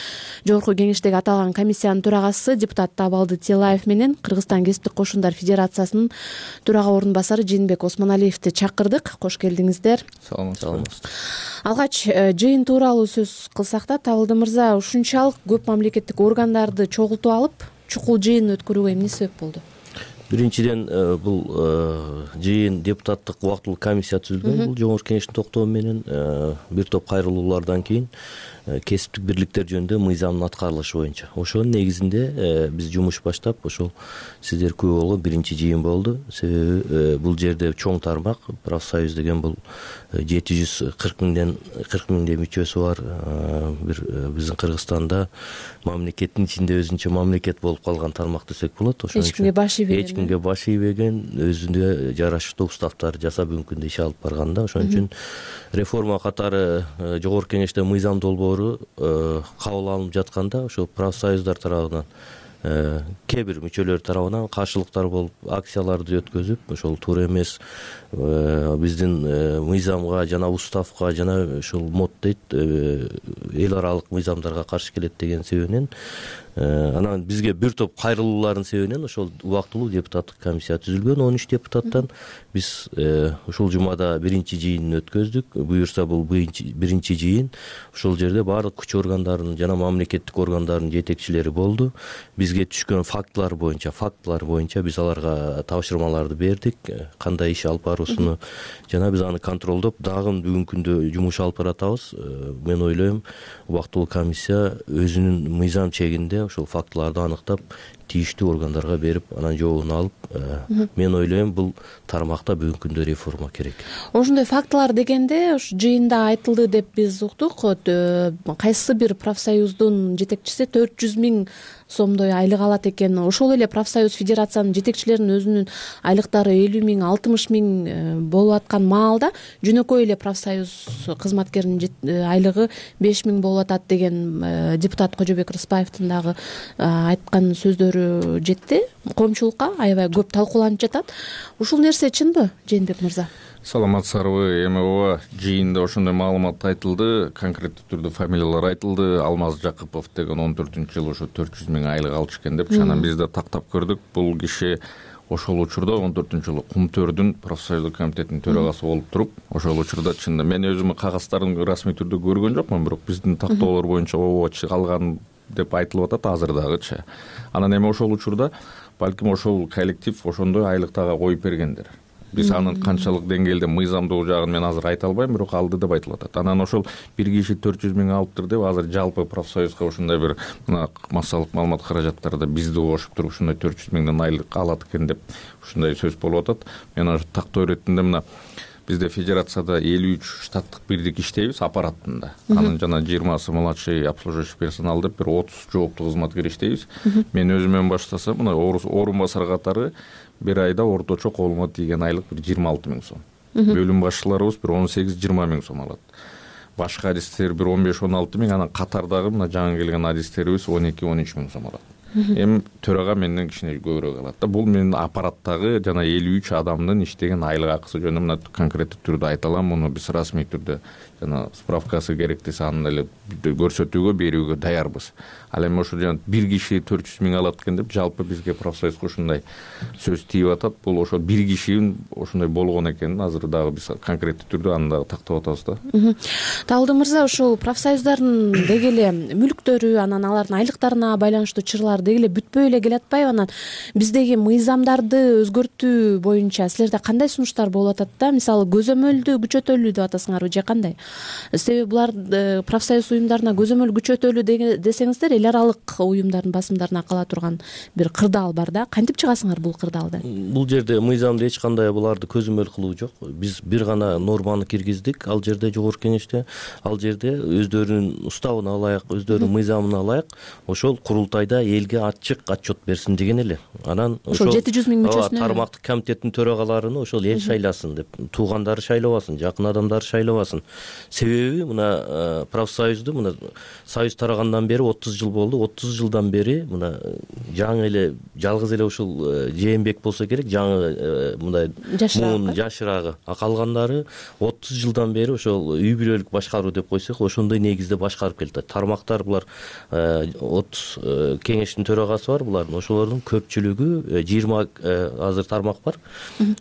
жогорку кеңештеги аталган комиссиянын төрагасы депутат Табалды Телаев менен Кыргызстан кесиптик кошундар федерациясынын төрага орун басары Жээнбек Осмоналиевди чакырдык. Кош келдиңиздер. Саламатсызбы. Алгач жыйын тууралуу сөз кылсак да, Табалды мырза, ушунчалык көп мамлекеттик органдарды чогултуп алып чукул жыйын өткөрүүгө эмне себеп болду? Биринчиден, бул жыйын депутаттык убактылуу комиссия түзүлгөн. Бул жогорку кеңештин токтому менен бир топ кайрылуулардан кийин кесиптик бирликтер жөнүндө мыйзамдын аткарылышы боюнча. Ошонун негизинде биз жумуш баштап, ошол сиздер күбө болгон биринчи жыйын болду. Себеби бул жерде чоң тармак, профсоюз деген бул 740 миңдей мүчөсү бар бир биздин Кыргызстанда мамлекеттин ичинде өзүнчө мамлекет болуп калган тармак десек болот. Ошон үчүн эч кимге баш ийбеген, өзүнө жараштуу уставтар жасап мүмкүндө иш алып барган да. Ошон үчүн реформа катары жогорку кеңеште мыйзам долбоору кабыл алынып жатканда, ошол профсоюздар тарабынан кээ бир мүчөлөр тарабынан каршылыктар болуп, акцияларды өткөзүп, ошол туура эмес, биздин мыйзамга жана уставга жана ошол мод дейт, эл аралык мыйзамдарга каршы келет деген себебинен анан бизге бир топ кайрылуулардын себебинен ошол убактылуу депутаттык комиссия түзүлгөн. 13 депутаттан биз ушул жумада биринчи жыйынын өткөздүк. Буюрса бул биринчи жыйын. Ошол жерде баардык күч органдарынын жана мамлекеттик органдардын жетекчилери болду. Бизге түшкөн фактылар боюнча биз аларга тапшырмаларды бердик. Кандай иш алып баруусуну жана биз аны контролдоп, дагы бүгүнкү күндө жумуш алып баратабыз. Мен ойлойм, убактылуу комиссия өзүнүн мыйзам чегинде ошол фактыларды аныктап, тийиштүү органдарга берип, анан жообун алып, мен ойлойм, бул тармакта бүгүнкү күндө реформа керек. Ошондой фактылар дегенде ушу жыйында айтылды деп биз уктук. Кайсы бир профсоюздун жетекчиси 400 миң сомдой айлык алат экен. Ошол эле профсоюз федерациянын жетекчилеринин өзүнүн айлыктары 50 миң, 60 миң болуп аткан маалда жөнөкөй эле профсоюз кызматкеринин айлыгы 5 миң болуп атат деген депутат Кожобек Рыспаевдин дагы айткан сөздөрү жетти. Коомчулукка аябай көп талкууланып жатат. Ушул нерсе чынбы, Жээнбек мырза? Саламатсыздарбы. Эми ооба, жыйында ошондой маалымат айтылды, конкреттүү түрдө фамилиялар айтылды. Алмаз Жакыпов деген 14-жылы ошо 400 миң айлык алчу экен деп, анан биз да тактап көрдүк. Бул киши ошол учурда 14-жылы Кумтөрдүн профсоюздук комитетинин төрагасы болуп туруп, ошол учурда чынында мен өзүм кагаздарын расмий түрдө көргөн жокмун, бирок биздин тактоолор боюнча ооба калган деп айтылып атат азыр дагычы. Анан эми ошол учурда балким ошол коллектив ошондой айлыктага коюп бергендер. Биз анын канчалык деңгээлде мыйзамдуу жагын мен азыр айта албайм, бирок алды деп айтылып атат. Анан ошол бир киши 400 миң алыптыр деп азыр жалпы профсоюзга ошондой бир мына массалык маалымат каражаттарда бизди кошуп туруп ушундай 400 миңден айлык алат экен деп ушундай сөз болуп атат. Мен ошо тактоо иретинде мына бизде федерацияда 53 штаттык бирдик иштейбиз аппаратында. Анын жана 20сы младший обслуживающий персонал деп бир 30 жооптуу кызматкер иштейбиз. Мен өзүмөн баштасам, мына орун басар катары бир айда орточо колума тийген айлык бир 26 миң сом. Бөлүм башчыларыбыз бир 18-20 миң сом алат. Башка адистер бир 15-16 миң, анан катардагы мына жаңы келген адистерибиз 12-13 миң сом алат. Эми төрага менден кичине көбүрөөк алат да. Бул менин аппараттагы жана 53 адамдын иштеген айлык акысы жөнүндө мына конкреттүү түрдө айта алам. Муну биз расмий түрдө жана справкасы керек десе аны эле көрсөтүүгө берүүгө даярбыз. Ал эми ошо жана бир киши 400 миң алат экен деп жалпы бизге профсоюзга ушундай сөз тийип атат. Бул ошо бир кишинин ошондой болгон экенин азыр дагы биз конкреттүү түрдө аны дагы тактап атабыз да. Табалды мырза, ошол профсоюздардын деги эле мүлктөрү, анан алардын айлыктарына байланыштуу чырларды деги эле бүтпөй эле келатпайбы? Анан биздеги мыйзамдарды өзгөртүү боюнча силерде кандай сунуштар болуп атат да? Мисалы көзөмөлдү күчөтөлү деп атасыңарбы же кандай? Себеби булар профсоюз уюмдарына көзөмөл күчөтөлү десеңиздер, эл аралык уюмдардын басымдарына кала турган бир кырдаал бар да. Кантип чыгасыңар бул кырдаалдан? Бул жерде мыйзамда эч кандай буларды көзөмөл кылуу жок. Биз бир гана норманы киргиздик ал жерде, жогорку кеңеште. Ал жерде өздөрүнүн уставына ылайык, өздөрүнүн мыйзамына ылайык ошол курултайда элге ачык отчет берсин деген эле. Анан ошол 700 миң мүчөсүнө тармактык комитеттин төрагаларын ошол эл шайласын деп, туугандары шайлабасын, жакын адамдары шайлабасын. Себеби мына профсоюзду мына союз тарагандан бери 30 жыл болду. 30 жылдан бери мына жаңы эле жалгыз эле ушул Жээнбек болсо керек, жаңы мындай жашыраагы. Калгандары 30 жылдан бери ошол үй бүлөлүк башкаруу деп койсок, ошондой негизде башкарып келет. Тармактар булар 30 кеңештин төрагасы бар, булардын ошолордун көпчүлүгү 20 азыр тармак бар.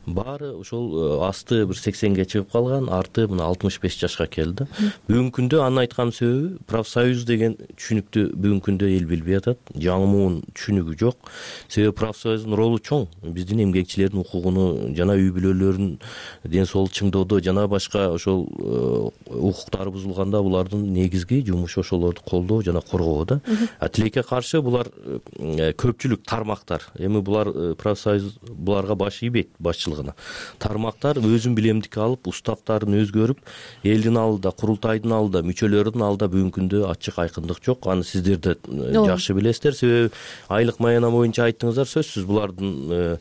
Баары ошол асты бир 80ге чыгып калган, арты мына 65 жашка келди. Бүгүнкү күндө анын айткан себеби профсоюз деген түшүнүктү бүгүнкү күндө эл билбей атат. Жаңы муун түшүнүгү жок. Себеби профсоюздун ролу чоң. Биздин эмгекчилердин укугуну жана үй бүлөлөрүнүн ден соолук чыңдоодо жана башка ошол укуктары бузулганда булардын негизги жумушу ошолорду колдоо жана коргоо да. Тилекке каршы булар көпчүлүк тармактар. Эми булар профсоюз буларга баш ийбейт, башчылыгына. Тармактар өзүн билемдикке алып, уставдарын өзгөрүп, элдин алдында, курултайдын алдында, мүчөлөрдүн алдында бүгүнкү күндө ачык айкындык жок. Аны сиздер да жакшы билесиздер. Себеби айлык маяна боюнча айттыңыздар, сөзсүз булардын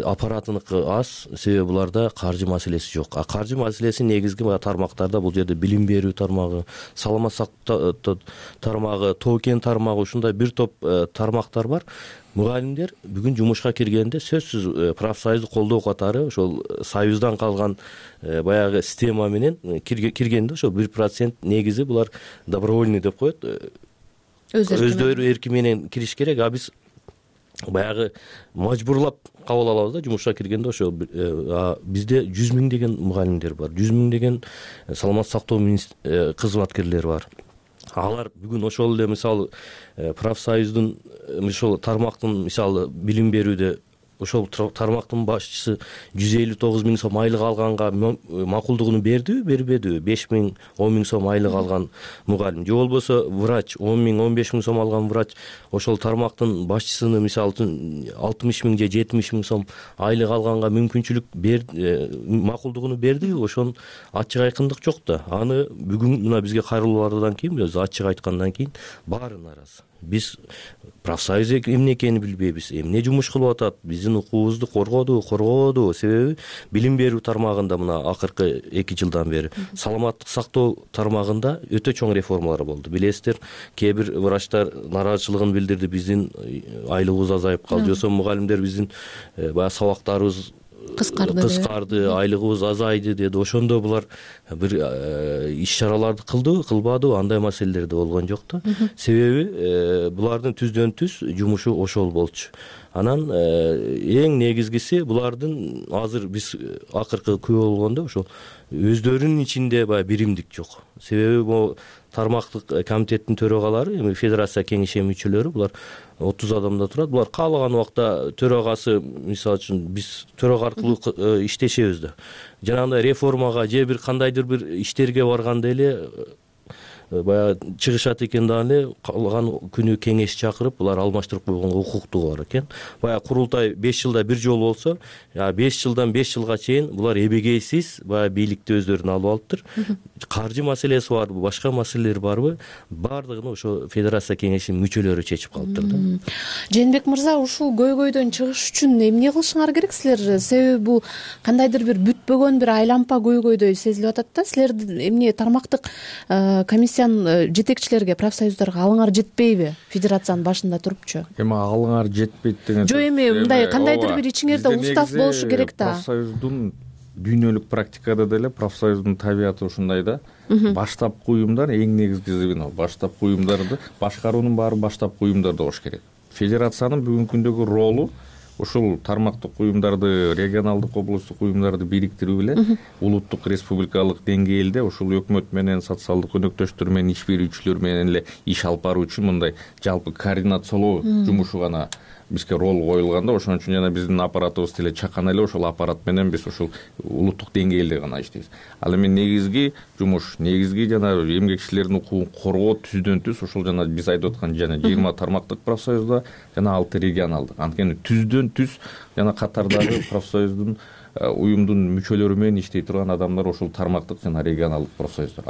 аппаратыныкы аз, себеби буларда каржы маселеси жок. Каржы маселеси негизги тармактарда бул жерде билим берүү тармагы, саламат сактоо тармагы, тоо-кен тармагы, ушундай бир топ тармактар бар. Мугалимдер бүгүн жумушка киргенде сөзсүз профсоюзду колдоо катары ошол союздан калган баягы система менен киргенде ошол 1% негизи булар добровольный деп коет. Өздөрү эрки менен кириш керек, а биз баягы мажбурлап кабыл алабыз да. Жумушка киргенде ошо бизде 100 миң деген мугалимдер бар, 100 миң деген саламат сактоо кызматкерлери бар. Алар бүгүн ошол эле мисалы профсоюздун ошол тармактын мисалы билим берүүдө ошол тармактын башчысы 159 миң сом айлык алганга макулдугун бердиби, бербедиби? 5 миң, 10 миң сом айлык алган мугалим же болбосо врач 10 миң, 15 миң сом алган врач ошол тармактын башчысыны мисалы үчүн 60 миң же 70 миң сом айлык алганга мүмкүнчүлүк макулдугун бердиби? Ошон ачык айкындык жок да. Аны бүгүн мына бизге кайрылуулардан кийин, биз ачык айткандан кийин баары нааразы. Биз профсоюз эмне экенин билбейбиз, эмне жумуш кылып атат, биздин укугубузду коргоодубу? Себеби билим берүү тармагында мына акыркы 2 жылдан бери саламаттык сактоо тармагында өтө чоң реформалар болду. Билесиздер, кээ бир врачтар нааразычылыгын билдирди, биздин айлыгыбыз азайып калды, жосо мугалимдер биздин баягы сабактарыбыз кыскарды, айлыгыбыз азайды деди. Ошондо булар бир иш-чараларды кылбадыбы? Андай маселелер да болгон жок да. Себеби булардын түздөн түз жумушу ошол болчу. Анан эң негизгиси булардын азыр биз акыркы күбө болгондо ошол өздөрүнүн ичинде баягы биримдик жок. Себеби бул тармактык комитеттин төрагалары, эми федерация кеңеши мүчөлөрү, булар 30 адамда турат. Булар каалаган убакта төрагасы, мисалы үчүн биз төрага аркылуу иштешебиз да. Жанагындай реформага же бир кандайдыр бир иштерге барганда эле баягы чыгышат экен да, эле калган күнү кеңеш чакырып булар алмаштырып койгонго укуктугу бар экен. Баягы курултай 5 жылда бир жолу болсо, 5 жылдан 5 жылга чейин булар эбегейсиз баягы бийликти өздөрүнө алып алыптыр. Каржы маселеси барбы, башка маселелер барбы? Бардыгын ошо федерация кеңешинин мүчөлөрү чечип калыптыр да. Жээнбек мырза, ушул көйгөйдөн чыгыш үчүн эмне кылышыңар керек силер? Себеби бул кандайдыр бир бүтпөгөн бир айлампа көйгөйдөй сезилип атат да. Силер эмне тармактык комиссиянын жетекчилерге, профсоюздарга алыңар жетпейби? Федерациянын башында турупчу. Эми алыңар жетпейт деген жок, эми мындай кандайдыр бир ичиңерде устав болушу керек да. Профсоюздун дүйнөлүк практикада деле профсоюздун табияты ушундай да. Баштапкы уюмдар эң негизги звено. Баштапкы уюмдарды башкаруунун баары баштапкы уюмдарда болуш керек. Федерациянын бүгүнкү күндөгү ролу ушул тармактык уюмдарды, регионалдык, облустук уюмдарды бириктирип эле улуттук, республикалык деңгээлде ушул өкмөт менен, социалдык өнөктөштөр менен, иш берүүчүлөр менен эле иш алып баруу үчүн мындай жалпы координациялоо жумушу гана бизге роль коюлган да. Ошон үчүн жана биздин аппаратыбыз деле чакан эле ошол аппарат менен биз ушул улуттук деңгээлде гана иштейбиз. Ал эми негизги жумуш, негизги жана эмгекчилердин укугун коргоо түздөн түз ушул жана биз айтып аткан жана 20 тармактык профсоюзда жана 6 регионалдык. Анткени түздөн түз жана катардагы профсоюздун уюмдун мүчөлөрү менен иштей турган адамдар ошол тармактык жана регионалдык профсоюздар.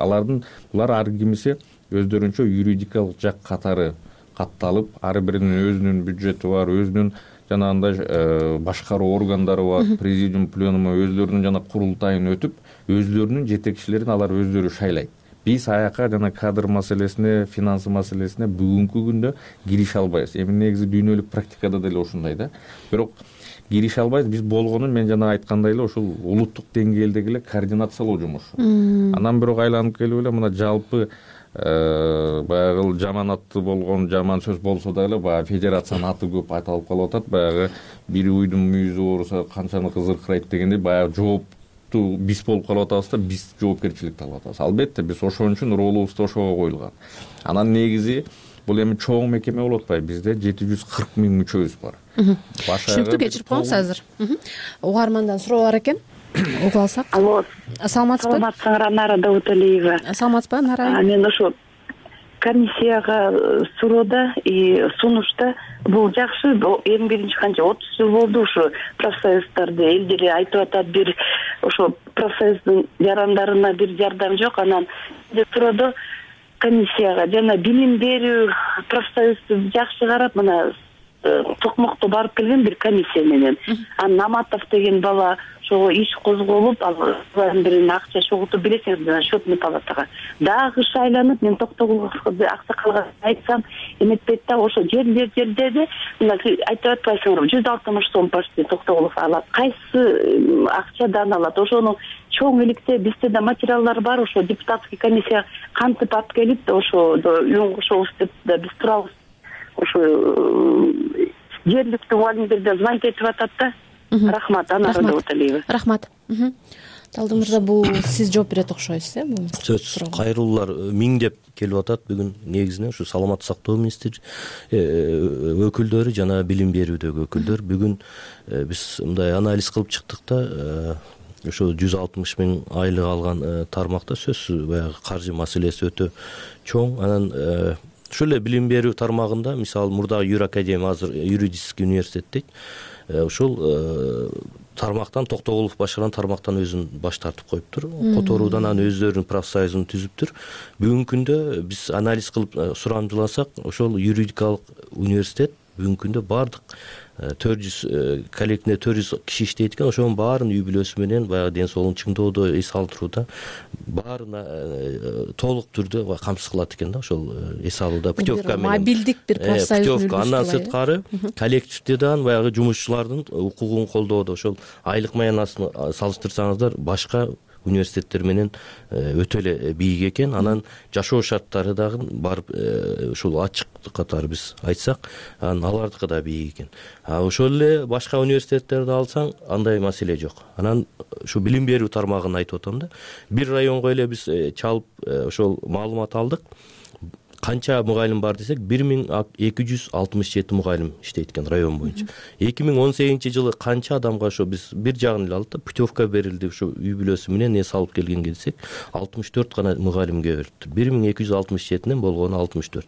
Булар ар кимиси өздөрүнчө юридикалык жак катары катталып, ар биринин өзүнүн бюджети бар, өзүнүн жанагындай башкаруу органдары бар, президиум, пленуму өзлөрүнүн жана курултайын өтүп, өзлөрүнүн жетекчилерин алар өздөрү шайлайт. Биз аяка жана кадр маселесине, финансы маселесине бүгүнкү күндө кирише албайбыз. Эми негизи дүйнөлүк практикада деле ушундай да. Бирок кирише албайбыз. Биз болгонун мен жана айткандай эле ушул улуттук деңгээлдеги эле координациялоо жумушу. Анан бирок айланып келип эле мына жалпы баягы жаман аты болгон, жаман сөз болсо дагы баягы федерациянын аты көп айтылып калып атат. Баягы бир уйдун мүйүзү ооруса канчаны кызыркырайт дегендей баягы жоопту биз болуп калып атабыз да, биз жоопкерчиликти алып атабыз. Албетте биз ошон үчүн ролубуз да ошого коюлган. Анан негизи бул эми чоң мекеме болуп атпайбы. Бизде 740 000 мүчөбүз бар. Түшүнүктүү, кечирип коюңуз азыр. Угармандан суроо бар экен. Угуп алсак. Алло. Саламатсызбы? Саламатсыңар, Анара Дауталиева. Саламатсызбы, Анара? Мен ошо комиссияга суроодо сунушта бул жакшы. Эң биринчи канча 30 жыл болду ушу профсоюздарды элдери айтып атат, бир ошо профсоюздун жарандарына бир жардам жок. Анан суроодо комиссияга жана билим берүү профсоюзду жакшы карап, мына Токмокто барып келген бир комиссия менен. Наматов деген бала ошого иш козголуп, алардын бирин акча чогултуп, билесиңиз, жана счетный палатага дагы шайланып, мен Токтогуловго аксакалга айтсам, эметпейт да, ошо жерлерде мына айтып атпайсыңарбы, 160 сом почти Токтогулов алат. Кайсы акчадан алат? Ошону чоң иликте бизде да материалдар бар, ошо депутатский комиссия кантип алып келип, ошо үн кошобуз деп да биз турабыз. Ошо жергиликтүү мугалимдерден звонить этип атат да. Рахмат, Анара Дауталиева. Рахмат. Талдын мырза, бул сиз жооп берет окшойсуз, бул сөзсүз кайрылуулар миңдеп келип атат бүгүн. Негизинен ушу саламаттык сактоо министри өкүлдөрү жана билим берүүдөгү өкүлдөр бүгүн биз мындай анализ кылып чыктык да. Ошо 160 000 айлык алган тармакта сөзсүз баягы каржы маселеси өтө чоң. Анан ушул эле билим берүү тармагында, мисалы мурдагы Юр Академия, азыр юридический университет дейт. Ушул тармактан Токтогулов башкарган тармактан өзүн баш тартып коюптур. Которуудан анан өздөрүнүн профсоюзун түзүптүр. Бүгүнкү күндө биз анализ кылып сурамжыласак, ошол юридикалык университет бүгүнкү күндө бардык 400 коллективде 400 киши иштейт экен. Ошонун баарын үй бүлөсү менен баягы ден соолугун чыңдоодо, эс алдырууда баарына толук түрдө камсыз кылат экен да. Ошол эс алууда путевка менен мобилдик бир профсоюз путевка. Андан сырткары коллективде дагы баягы жумушчулардын укугун колдоодо, ошол айлык маянасын салыштырсаңыздар башка университеттер менен өтө эле бийик экен. Анан жашоо шарттары дагы барып ушул ачык катары биз айтсак, анан алардыкы да бийик экен. Ошол эле башка университеттерди алсаң, андай маселе жок. Анан ушу билим берүү тармагын айтып атам да. Бир районго эле биз чалып ошол маалымат алдык. Канча мугалим бар десек, 1267 мугалим иштейт экен район боюнча. 2018-жылы канча адамга ошо биз бир жагын эле алдык, путевка берилди, ошо үй бүлөсү менен эс алып келгенге десек, 64 гана мугалимге берилди. 1267-ден болгону 64.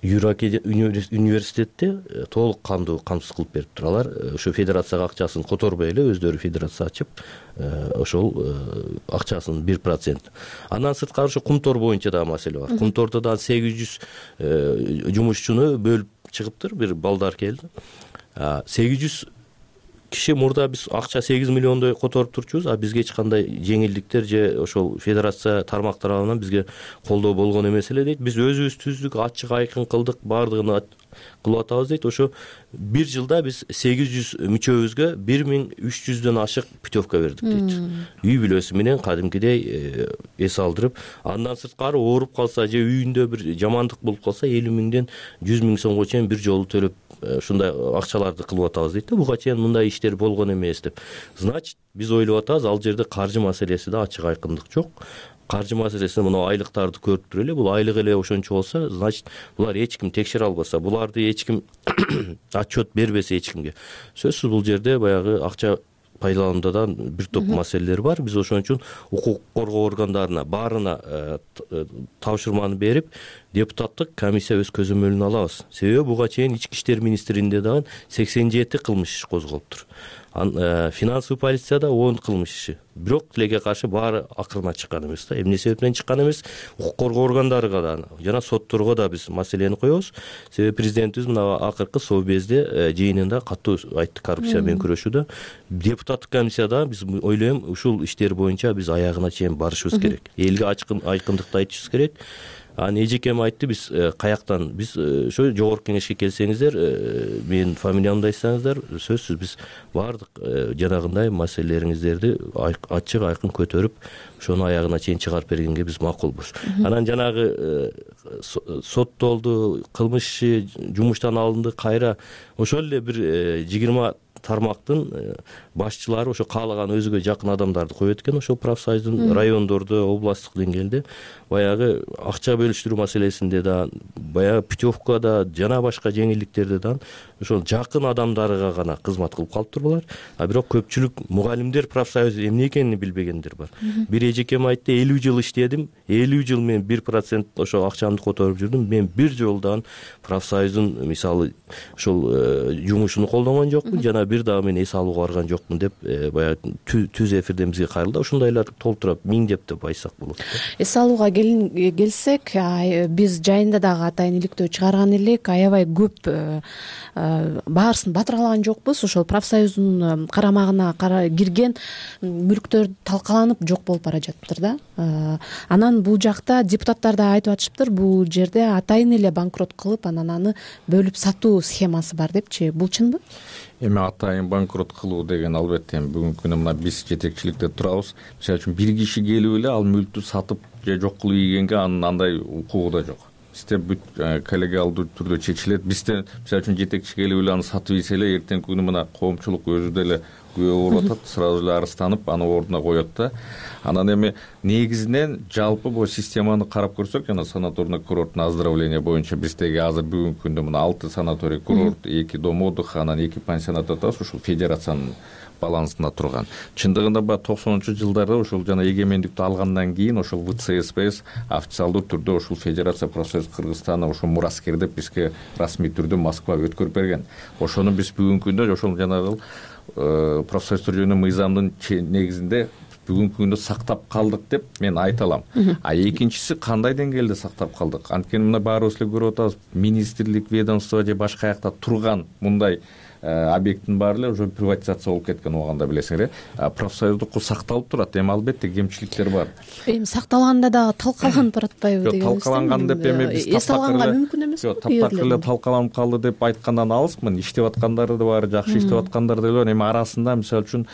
Юр университетте толук кандуу камсыз кылып бериптир. Алар ошо федерацияга акчасын которбой эле өздөрү федерация ачып, ошол акчасынын 1%. Андан сырткары ошо Кумтор боюнча да маселе бар. Кумтордо да 800 жумушчуну бөлүп чыгыптыр, бир балдар келди. 800 киши мурда биз акча 8 миллиондой которуп турчубуз, бизге эч кандай жеңилдиктер же ошол федерация тармактары тарабынан бизге колдоо болгон эмес эле дейт. Биз өзүбүз түздүк, ачык айкын кылдык, баардыгын кылып атабыз дейт. Ошо бир жылда биз 800 мүчөбүзгө 1300дөн ашык путевка бердик дейт. Үй бүлөсү менен кадимкидей эс алдырып, андан сырткары ооруп калса же үйүндө бир жамандык болуп калса 50 миңден 100 миң сомго чейин бир жолу төлөп ушундай акчаларды кылып атабыз дейт да. Буга чейин мындай иштер болгон эмес деп. Значит, биз ойлоп атабыз, ал жерде каржы маселесиде ачык айкындык жок. Каржы маселесин мына айлыктарды көрүп туруп эле, бул айлык эле ошончо болсо, значит, булар эч ким текшере албаса, буларды эч ким отчет бербесе эч кимге, сөзсүз бул жерде баягы акча пайдаланууда да бир топ маселелер бар. Биз ошон үчүн укук коргоо органдарына баарына тапшырманы берип, депутаттык комиссия өз көзөмөлүнө алабыз. Себеби буга чейин ички иштер министрлигинде дагы 87 кылмыш иш козголуптур. Финансовый полицияда 10 кылмыш иши. Бирок тилекке каршы баары акырына чыккан эмес да. Эмне себептен чыккан эмес? Укук коргоо органдарына да жана сотторго да биз маселени коебуз. Себеби президентибиз мына акыркы совбезде жыйынында катуу айтты коррупция менен күрөшүүдө. Депутаттык комиссияда биз ойлойм, ушул иштер боюнча биз аягына чейин барышыбыз керек. Элге айкындыкты айтышыбыз керек. Эжекем айтты, биз каяктан, биз ошо жогорку кеңешке келсеңиздер, менин фамилиямды айтсаңыздар, сөзсүз биз баардык жанагындай маселелериңиздерди ачык айкын көтөрүп, ошону аягына чейин чыгарып бергенге биз макулбуз. Анан жанагы соттолду, кылмыш иши жумуштан алынды, кайра ошол эле бир 20 тармактын башчылары ошо каалаган өзүгө жакын адамдарды коет экен. Ошол профсоюздун райондордо, областтык деңгээлде баягы акча бөлүштүрүү маселесинде да, баягы путевкада жана башка жеңилдиктерде да ошол жакын адамдарга гана кызмат кылып калыптыр булар. Бирок көпчүлүк мугалимдер профсоюзу эмне экенин билбегендер бар. Бир эжекем айтты, 50 жыл иштедим, 50 жыл мен 1% ошо акчамды которуп жүрдүм, мен бир жолдан профсоюздун мисалы ошол жумушун колдонгон жокмун, жана бир дагы мен эс алууга барган жокмун деп баягы түз эфирден бизге кайрылды. Ошондойлор толтура миңдеп деп айтсак болот. Эс алууга келсек, биз жайында дагы атайын иликтөө чыгарган элек, аябай көп баарысын батыргалаган жокпуз. Ошол профсоюздун карамагына кирген мүлктөр талкаланып жок болуп бара жатыптыр да. Анан бул жакта депутаттар да айтып атышыптыр, бул жерде атайын эле банкрот кылып, анан аны бөлүп сатуу схемасы бар депчи. Бул чынбы? Эми атайын банкрот кылуу деген албетте бүгүнкү күнү мына биз жетекчиликте турабыз. Мисалы үчүн бир киши келип эле ал мүлктү сатып же жок кылып ийгенге анын андай укугу да жок. Бизде бүт коллегиалдуу түрдө чечилет. Бизде мисалы үчүн жетекчи келип эле аны сатып ийсе эле эртеңки күнү мына коомчулук өзү деле күбө болуп атат, сразу эле арызданып аны ордуна коет да. Анан эми негизинен жалпы бул системаны карап көрсөк, жана санаторный курорттун оздоровление боюнча биздеги азыр бүгүнкү күндө мына 6 санаторий курорт, 2 дом отдыха, анан 2 пансионат атабыз, ушул федерациянын балансында турган. Чындыгында баягы 90-жылдарда ошол жана эгемендикти алгандан кийин ошол ВЦСПС официалдуу түрдө ошол Федерация профсоюз Кыргызстана ошол мураскер деп бизге расмий түрдө Москва өткөрүп берген. Ошону биз бүгүнкү күндө ошол жанагы профсоюздар жөнүндө мыйзамдын негизинде бүгүнкү күндө сактап калдык деп мен айта алам. Экинчиси, кандай деңгээлде сактап калдык? Анткени мына баарыбыз эле көрүп атабыз, министрлик, ведомство же башка жакта турган мындай объекттин баары эле уже приватизация болуп кеткен убагында билесиңер. Профсоюздуку сакталып турат, эми албетте кемчиликтер бар. Эми сакталганда дагы талкаланып баратпайбы деген. Жок, талкаланган деп эми биз эс алганга мүмкүн эмес. Жок, таптакыр эле талкаланып калды деп айткандан алысмын. Иштеп аткандары да бар, жакшы иштеп аткандар да бар. Эми арасында мисалы үчүн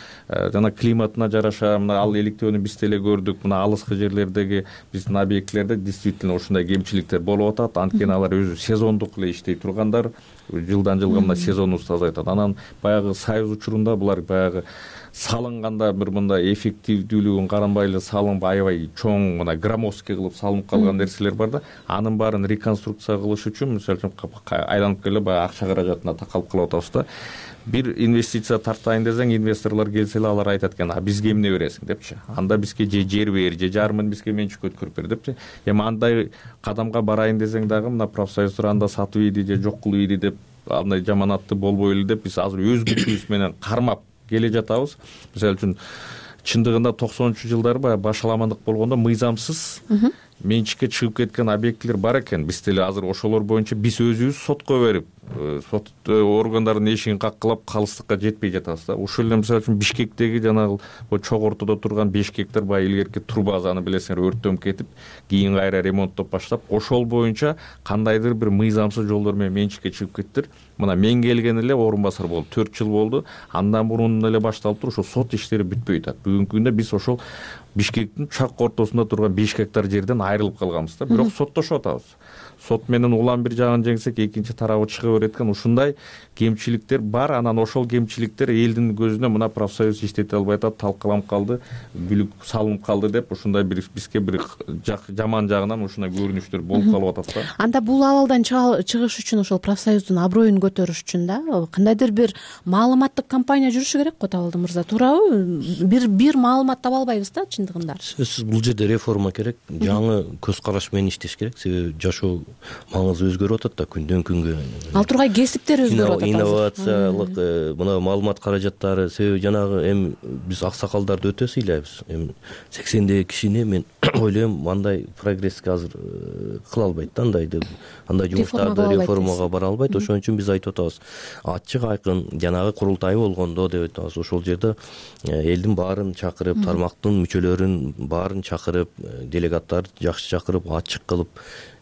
жана климатына жараша мына ал электөөнү биз деле көрдүк. Мына алыскы жерлердеги биздин объектлерде действительно ушундай кемчиликтер болуп атат. Анткени алар өзү сезондук эле иштей тургандар, жылдан жылга мына сезонубузду тазайтат. Анан баягы союз учурунда булар баягы салынганда бир мындай эффективдүүлүгүн каранбай эле салынып аябай чоң мына громоздкий кылып салынып калган нерселер бар да. Анын баарын реконструкция кылыш үчүн мисалы үчүн айланып келе баягы акча каражатына такалып калып атабыз да. Бир инвестиция тартайын десең, инвесторлор келсе эле алар айтат экен, бизге эмне бересиң депчи. Анда бизге же жер бер, же жарымын бизге менчикке өткөрүп бер депчи. Эми андай кадамга барайын десең дагы мына профсоюздар анда сатып ийди же жок кылып ийди деп андай жаманатты болбой эле деп биз азыр өз күчүбүз менен кармап келе жатабыз. Мисалы үчүн чындыгында 90-жылдары баягы башаламандык болгондо мыйзамсыз менчикке чыгып кеткен объектилер бар экен. Биз деле азыр ошолор боюнча биз өзүбүз сотко берип, сот органдарынын эшигин каккылап калыстыкка жетпей жатабыз да. Ошол эле мисалы үчүн Бишкектеги жанагы чок ортодо турган 5 гектар баягы илгерки турбазаны билесиңер өрттөнүп кетип, кийин кайра ремонттоп баштап, ошол боюнча кандайдыр бир мыйзамсыз жолдор менен менчикке чыгып кеттир. Мына мен келген эле орун басар болду, 4 жыл болду. Андан мурун эле башталып туруп, ошо сот иштери бүтпөй атат. Бүгүнкү күндө биз ошол Бишкектин чак ортосунда турган 5 гектар жерден айрылып калганбыз да. Бирок соттошуп атабыз. Сот менен улам бир жагын жеңсек, экинчи тарабы чыга берет экен. Ушундай кемчиликтер бар. Анан ошол кемчиликтер элдин көзүнө мына профсоюз иштете албай атат, талкаланып калды, бүлүк салынып калды деп ушундай бир бизге бир жаман жагынан ушундай көрүнүштөр болуп калып атат да. Анда бул абалдан чыгыш үчүн ошол профсоюздун аброюн көтөрүш үчүн да кандайдыр бир маалыматтык кампания жүрүшү керек го, Табалды мырза, туурабы? Бир маалымат таба албайбыз да чындыгында. Сөзсүз бул жерде реформа керек, жаңы көз караш менен иштеш керек. Себеби жашоо маңызы өзгөрүп атат да күндөн күнгө. Ал тургай кесиптер өзгөрүп атат. Инновациялык мына маалымат каражаттары, себеби жанагы эми биз аксакалдарды өтө сыйлайбыз. Эми 80 кишини мен ойлойм андай прогресске азыр кыла албайт да, андай жумуштарды реформага бара албайт. Ошон үчүн биз айтып атабыз, ачык айкын жанагы курултай болгондо деп айтабыз. Ошол жерде элдин баарын чакырып, тармактын мүчөлөрүн баарын чакырып, делегаттарды жакшы чакырып, ачык кылып,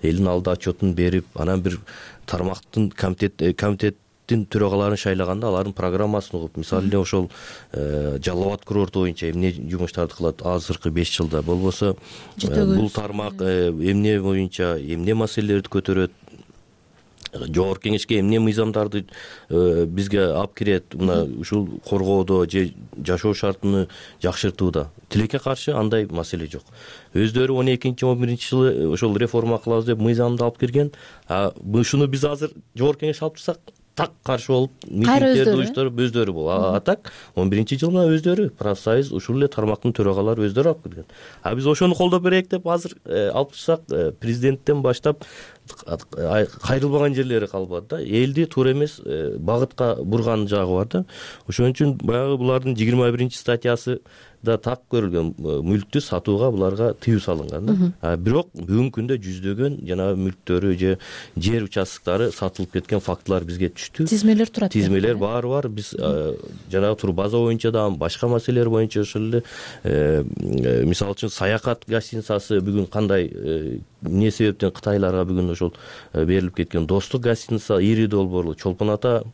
элдин алдында отчетун берип, анан бир тармактын комитеттин төрагаларын шайлаганда алардын программасын угуп, мисалы эле ошол Жалал Абад курорту боюнча эмне жумуштарды кылат азыркы 5 жылда, болбосо бул тармак эмне боюнча эмне маселелерди көтөрөт, жогорку кеңешке эмне мыйзамдарды бизге алып кирет, мына ушул коргоодо же жашоо шартын жакшыртууда. Тилекке каршы андай маселе жок. Өздөрү 12-11 жылы ошол реформа кылабыз деп мыйзамды алып кирген. Ушуну биз азыр жогорку кеңеш алып турсак, так каршы болуп, митингдерди уюштуруп өздөрү бул. А так 11-жылда өздөрү профсоюз ушул эле тармактын төрагалары өздөрү алып кирген. Биз ошону колдоп берейик деп азыр алып турсак, президенттен баштап кайрылбаган жерлери калбады да. Элди туура эмес багытка бурган жагы бар да. Ошон үчүн баягы булардын 21-статьясы да так көрүлгөн, мүлктү сатууга буларга тыюу салынган да. Бирок бүгүнкү күндө жүздөгөн жанагы мүлктөрү же жер участоктары сатылып кеткен фактылар бизге түштү. Тизмелер турат. Тизмелер баары бар. Биз жанагы турбаза боюнча да, башка маселелер боюнча ошол эле мисалы үчүн Саякат гостиницасы бүгүн кандай эмне себептен Кытайларга бүгүн ошол берилип кеткен, Достук гостиница, ири долбоорлуу Чолпон Ата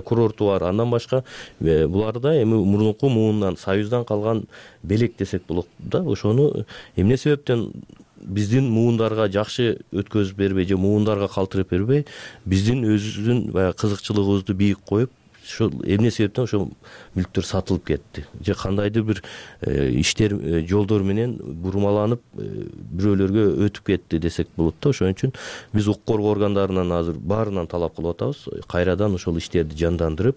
курорту бар. Андан башка буларда эми мурунку муундан, Союздан калган белек десек болот да. Ошону эмне себептен биздин муундарга жакшы өткөзүп бербей же муундарга калтырып бербей, биздин өзүбүздүн баягы кызыкчылыгыбызды бийик коюп, ошол эмне себептен ошол мүлктөр сатылып кетти же кандайдыр бир иштер жолдор менен бурмаланып бирөөлөргө өтүп кетти десек болот да. Ошон үчүн биз укук коргоо органдарынан азыр баарынан талап кылып атабыз, кайрадан ошол иштерди жандандырып,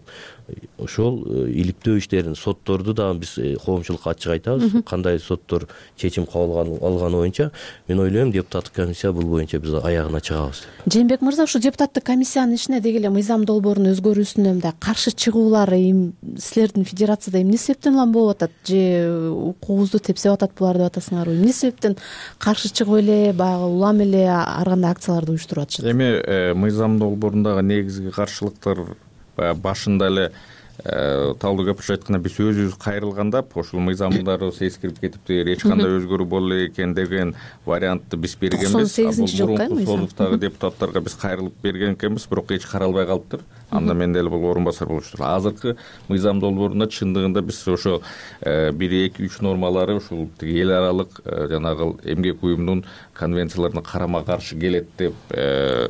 ошол иликтөө иштерин, сотторду да биз коомчулукка ачык айтабыз. Кандай соттор чечим кабыл алганы боюнча мен ойлойм депутаттык комиссия бул боюнча биз аягына чыгабыз. Жээнбек мырза, ушу депутаттык комиссиянын ишине деги эле мыйзам долбоорунун өзгөрүүсүнө мындай каршы чыгуулар силердин федерацияда эмне себептен улам болуп атат, же укугубузду тепсеп атат булар деп атасыңарбы? Эмне себептен каршы чыгып эле баягы улам эле ар кандай акцияларды уюштуруп атышат? Эми мыйзам долбоорундагы негизги каршылыктар башында эле Талдуу көпүрчү айтканда биз өзүбүз кайрылганда ошол мыйзамдарыбыз эскирип кетиптир, эч кандай өзгөрүү боло элек экен деген вариантты биз бергенбиз. 98-жылкы Союздагы депутаттарга биз кайрылып берген экенбиз, бирок эч каралбай калыптыр. Анда мен деле бул орун басар болуштур. Азыркы мыйзам долбоорунда чындыгында биз ошо 1-2-3 нормалары ушул эл аралык жанагы эмгек уюмунун конвенцияларына карама каршы келет деп,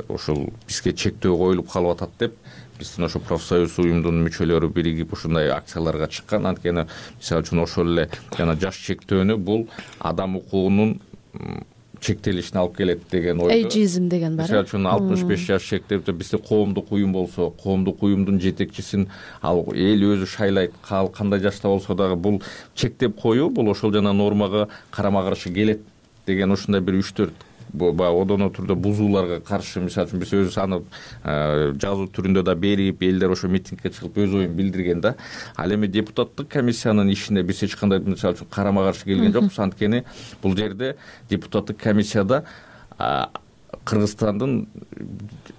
ошол бизге чектөө коюлуп калып атат деп биздин ошо профсоюз уюмдун мүчөлөрү биригип ушундай акцияларга чыккан. Анткени мисалы үчүн ошол эле жана жаш чектөөнү бул адам укугунун чектелишине алып келет деген ойдо. Эйджизм деген бар. Мисалы үчүн 65 жаш чектеп бизде коомдук уюм болсо, коомдук уюмдун жетекчисин ал эл өзү шайлайт, кандай жашта болсо дагы бул чектеп коюу бул ошол жана нормага карама каршы келет деген ушундай бир 3-4 баягы одоно түрдө бузууларга каршы, мисалы үчүн биз өзүбүз аны жазуу түрүндө да берип, элдер ошо митингге чыгып өз оюн билдирген да. Ал эми депутаттык комиссиянын ишине биз эч кандай мисалы үчүн карама каршы келген жокпуз. Анткени бул жерде депутаттык комиссияда Кыргызстандын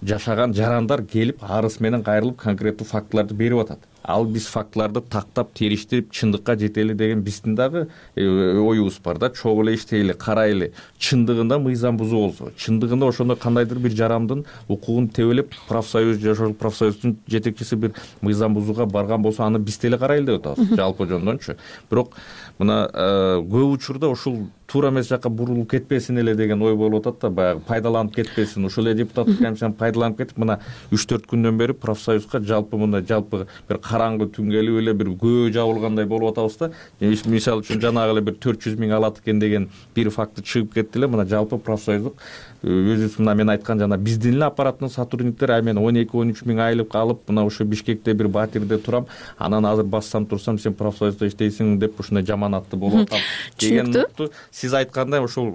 жашаган жарандар келип арыз менен кайрылып конкреттүү фактыларды берип атат. Ал биз фактыларды тактап, териштирип, чындыкка жетели деген биздин дагы оюбуз бар да. Чогуу эле иштейли, карайлы. Чындыгында мыйзам бузуу болсо, чындыгында ошондой кандайдыр бир жарандын укугун тебелеп, профсоюз, жашоолук профсоюздун жетекчиси бир мыйзам бузууга барган болсо, аны биз деле карайлы деп атабыз, жалпы жондончу. Бирок мына көп учурда ушул туура эмес жакка бурулуп кетпесин эле деген ой болуп атат да, баягы пайдаланып кетпесин. Ушул эле депутаттык комиссияны пайдаланып кетип, мына 3-4 күндөн бери профсоюзга жалпы бир караңгы түн келип эле бир көө жабылгандай болуп атабыз да. Мисалы үчүн жанагы эле бир 400 миң алат экен деген бир факты чыгып кетти эле. Мына жалпы профсоюздук өзүбүз мына мен айткан жана биздин эле аппараттын сотрудниктери мен 12-13 миң айлык алып, мына ошо Бишкекте бир батирде турам, анан азыр бассам турсам сен профсоюзда иштейсиң деп ушундай жаманатты болуп атам деген. Сиз айткандай ошол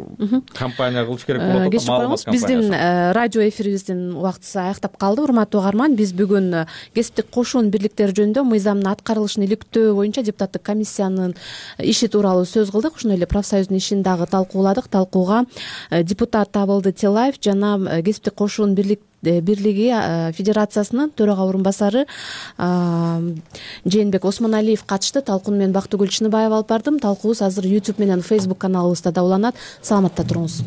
компания кылыш керек болуп атат. Кечирип коюңуз, биздин радио эфирибиздин убактысы аяктап калды. Урматтуу угарман, биз бүгүн кесиптик кошун бирликтер жөнүндө мыйзамдын аткарылышын иликтөө боюнча депутаттык комиссиянын иши тууралуу сөз кылдык. Ошондой эле профсоюздун ишин дагы талкууладык. Талкууга депутат Абылды Телаев жана кесиптик кошун бирлиги федерациясынын төрага орунбасары Жээнбек Осмоналиев катышты. Талкууну мен Бактыгүл Чыныбаева алып бардым. Талкуубуз азыр YouTube менен Facebook каналыбызда да уланат. Саламатта туруңуз.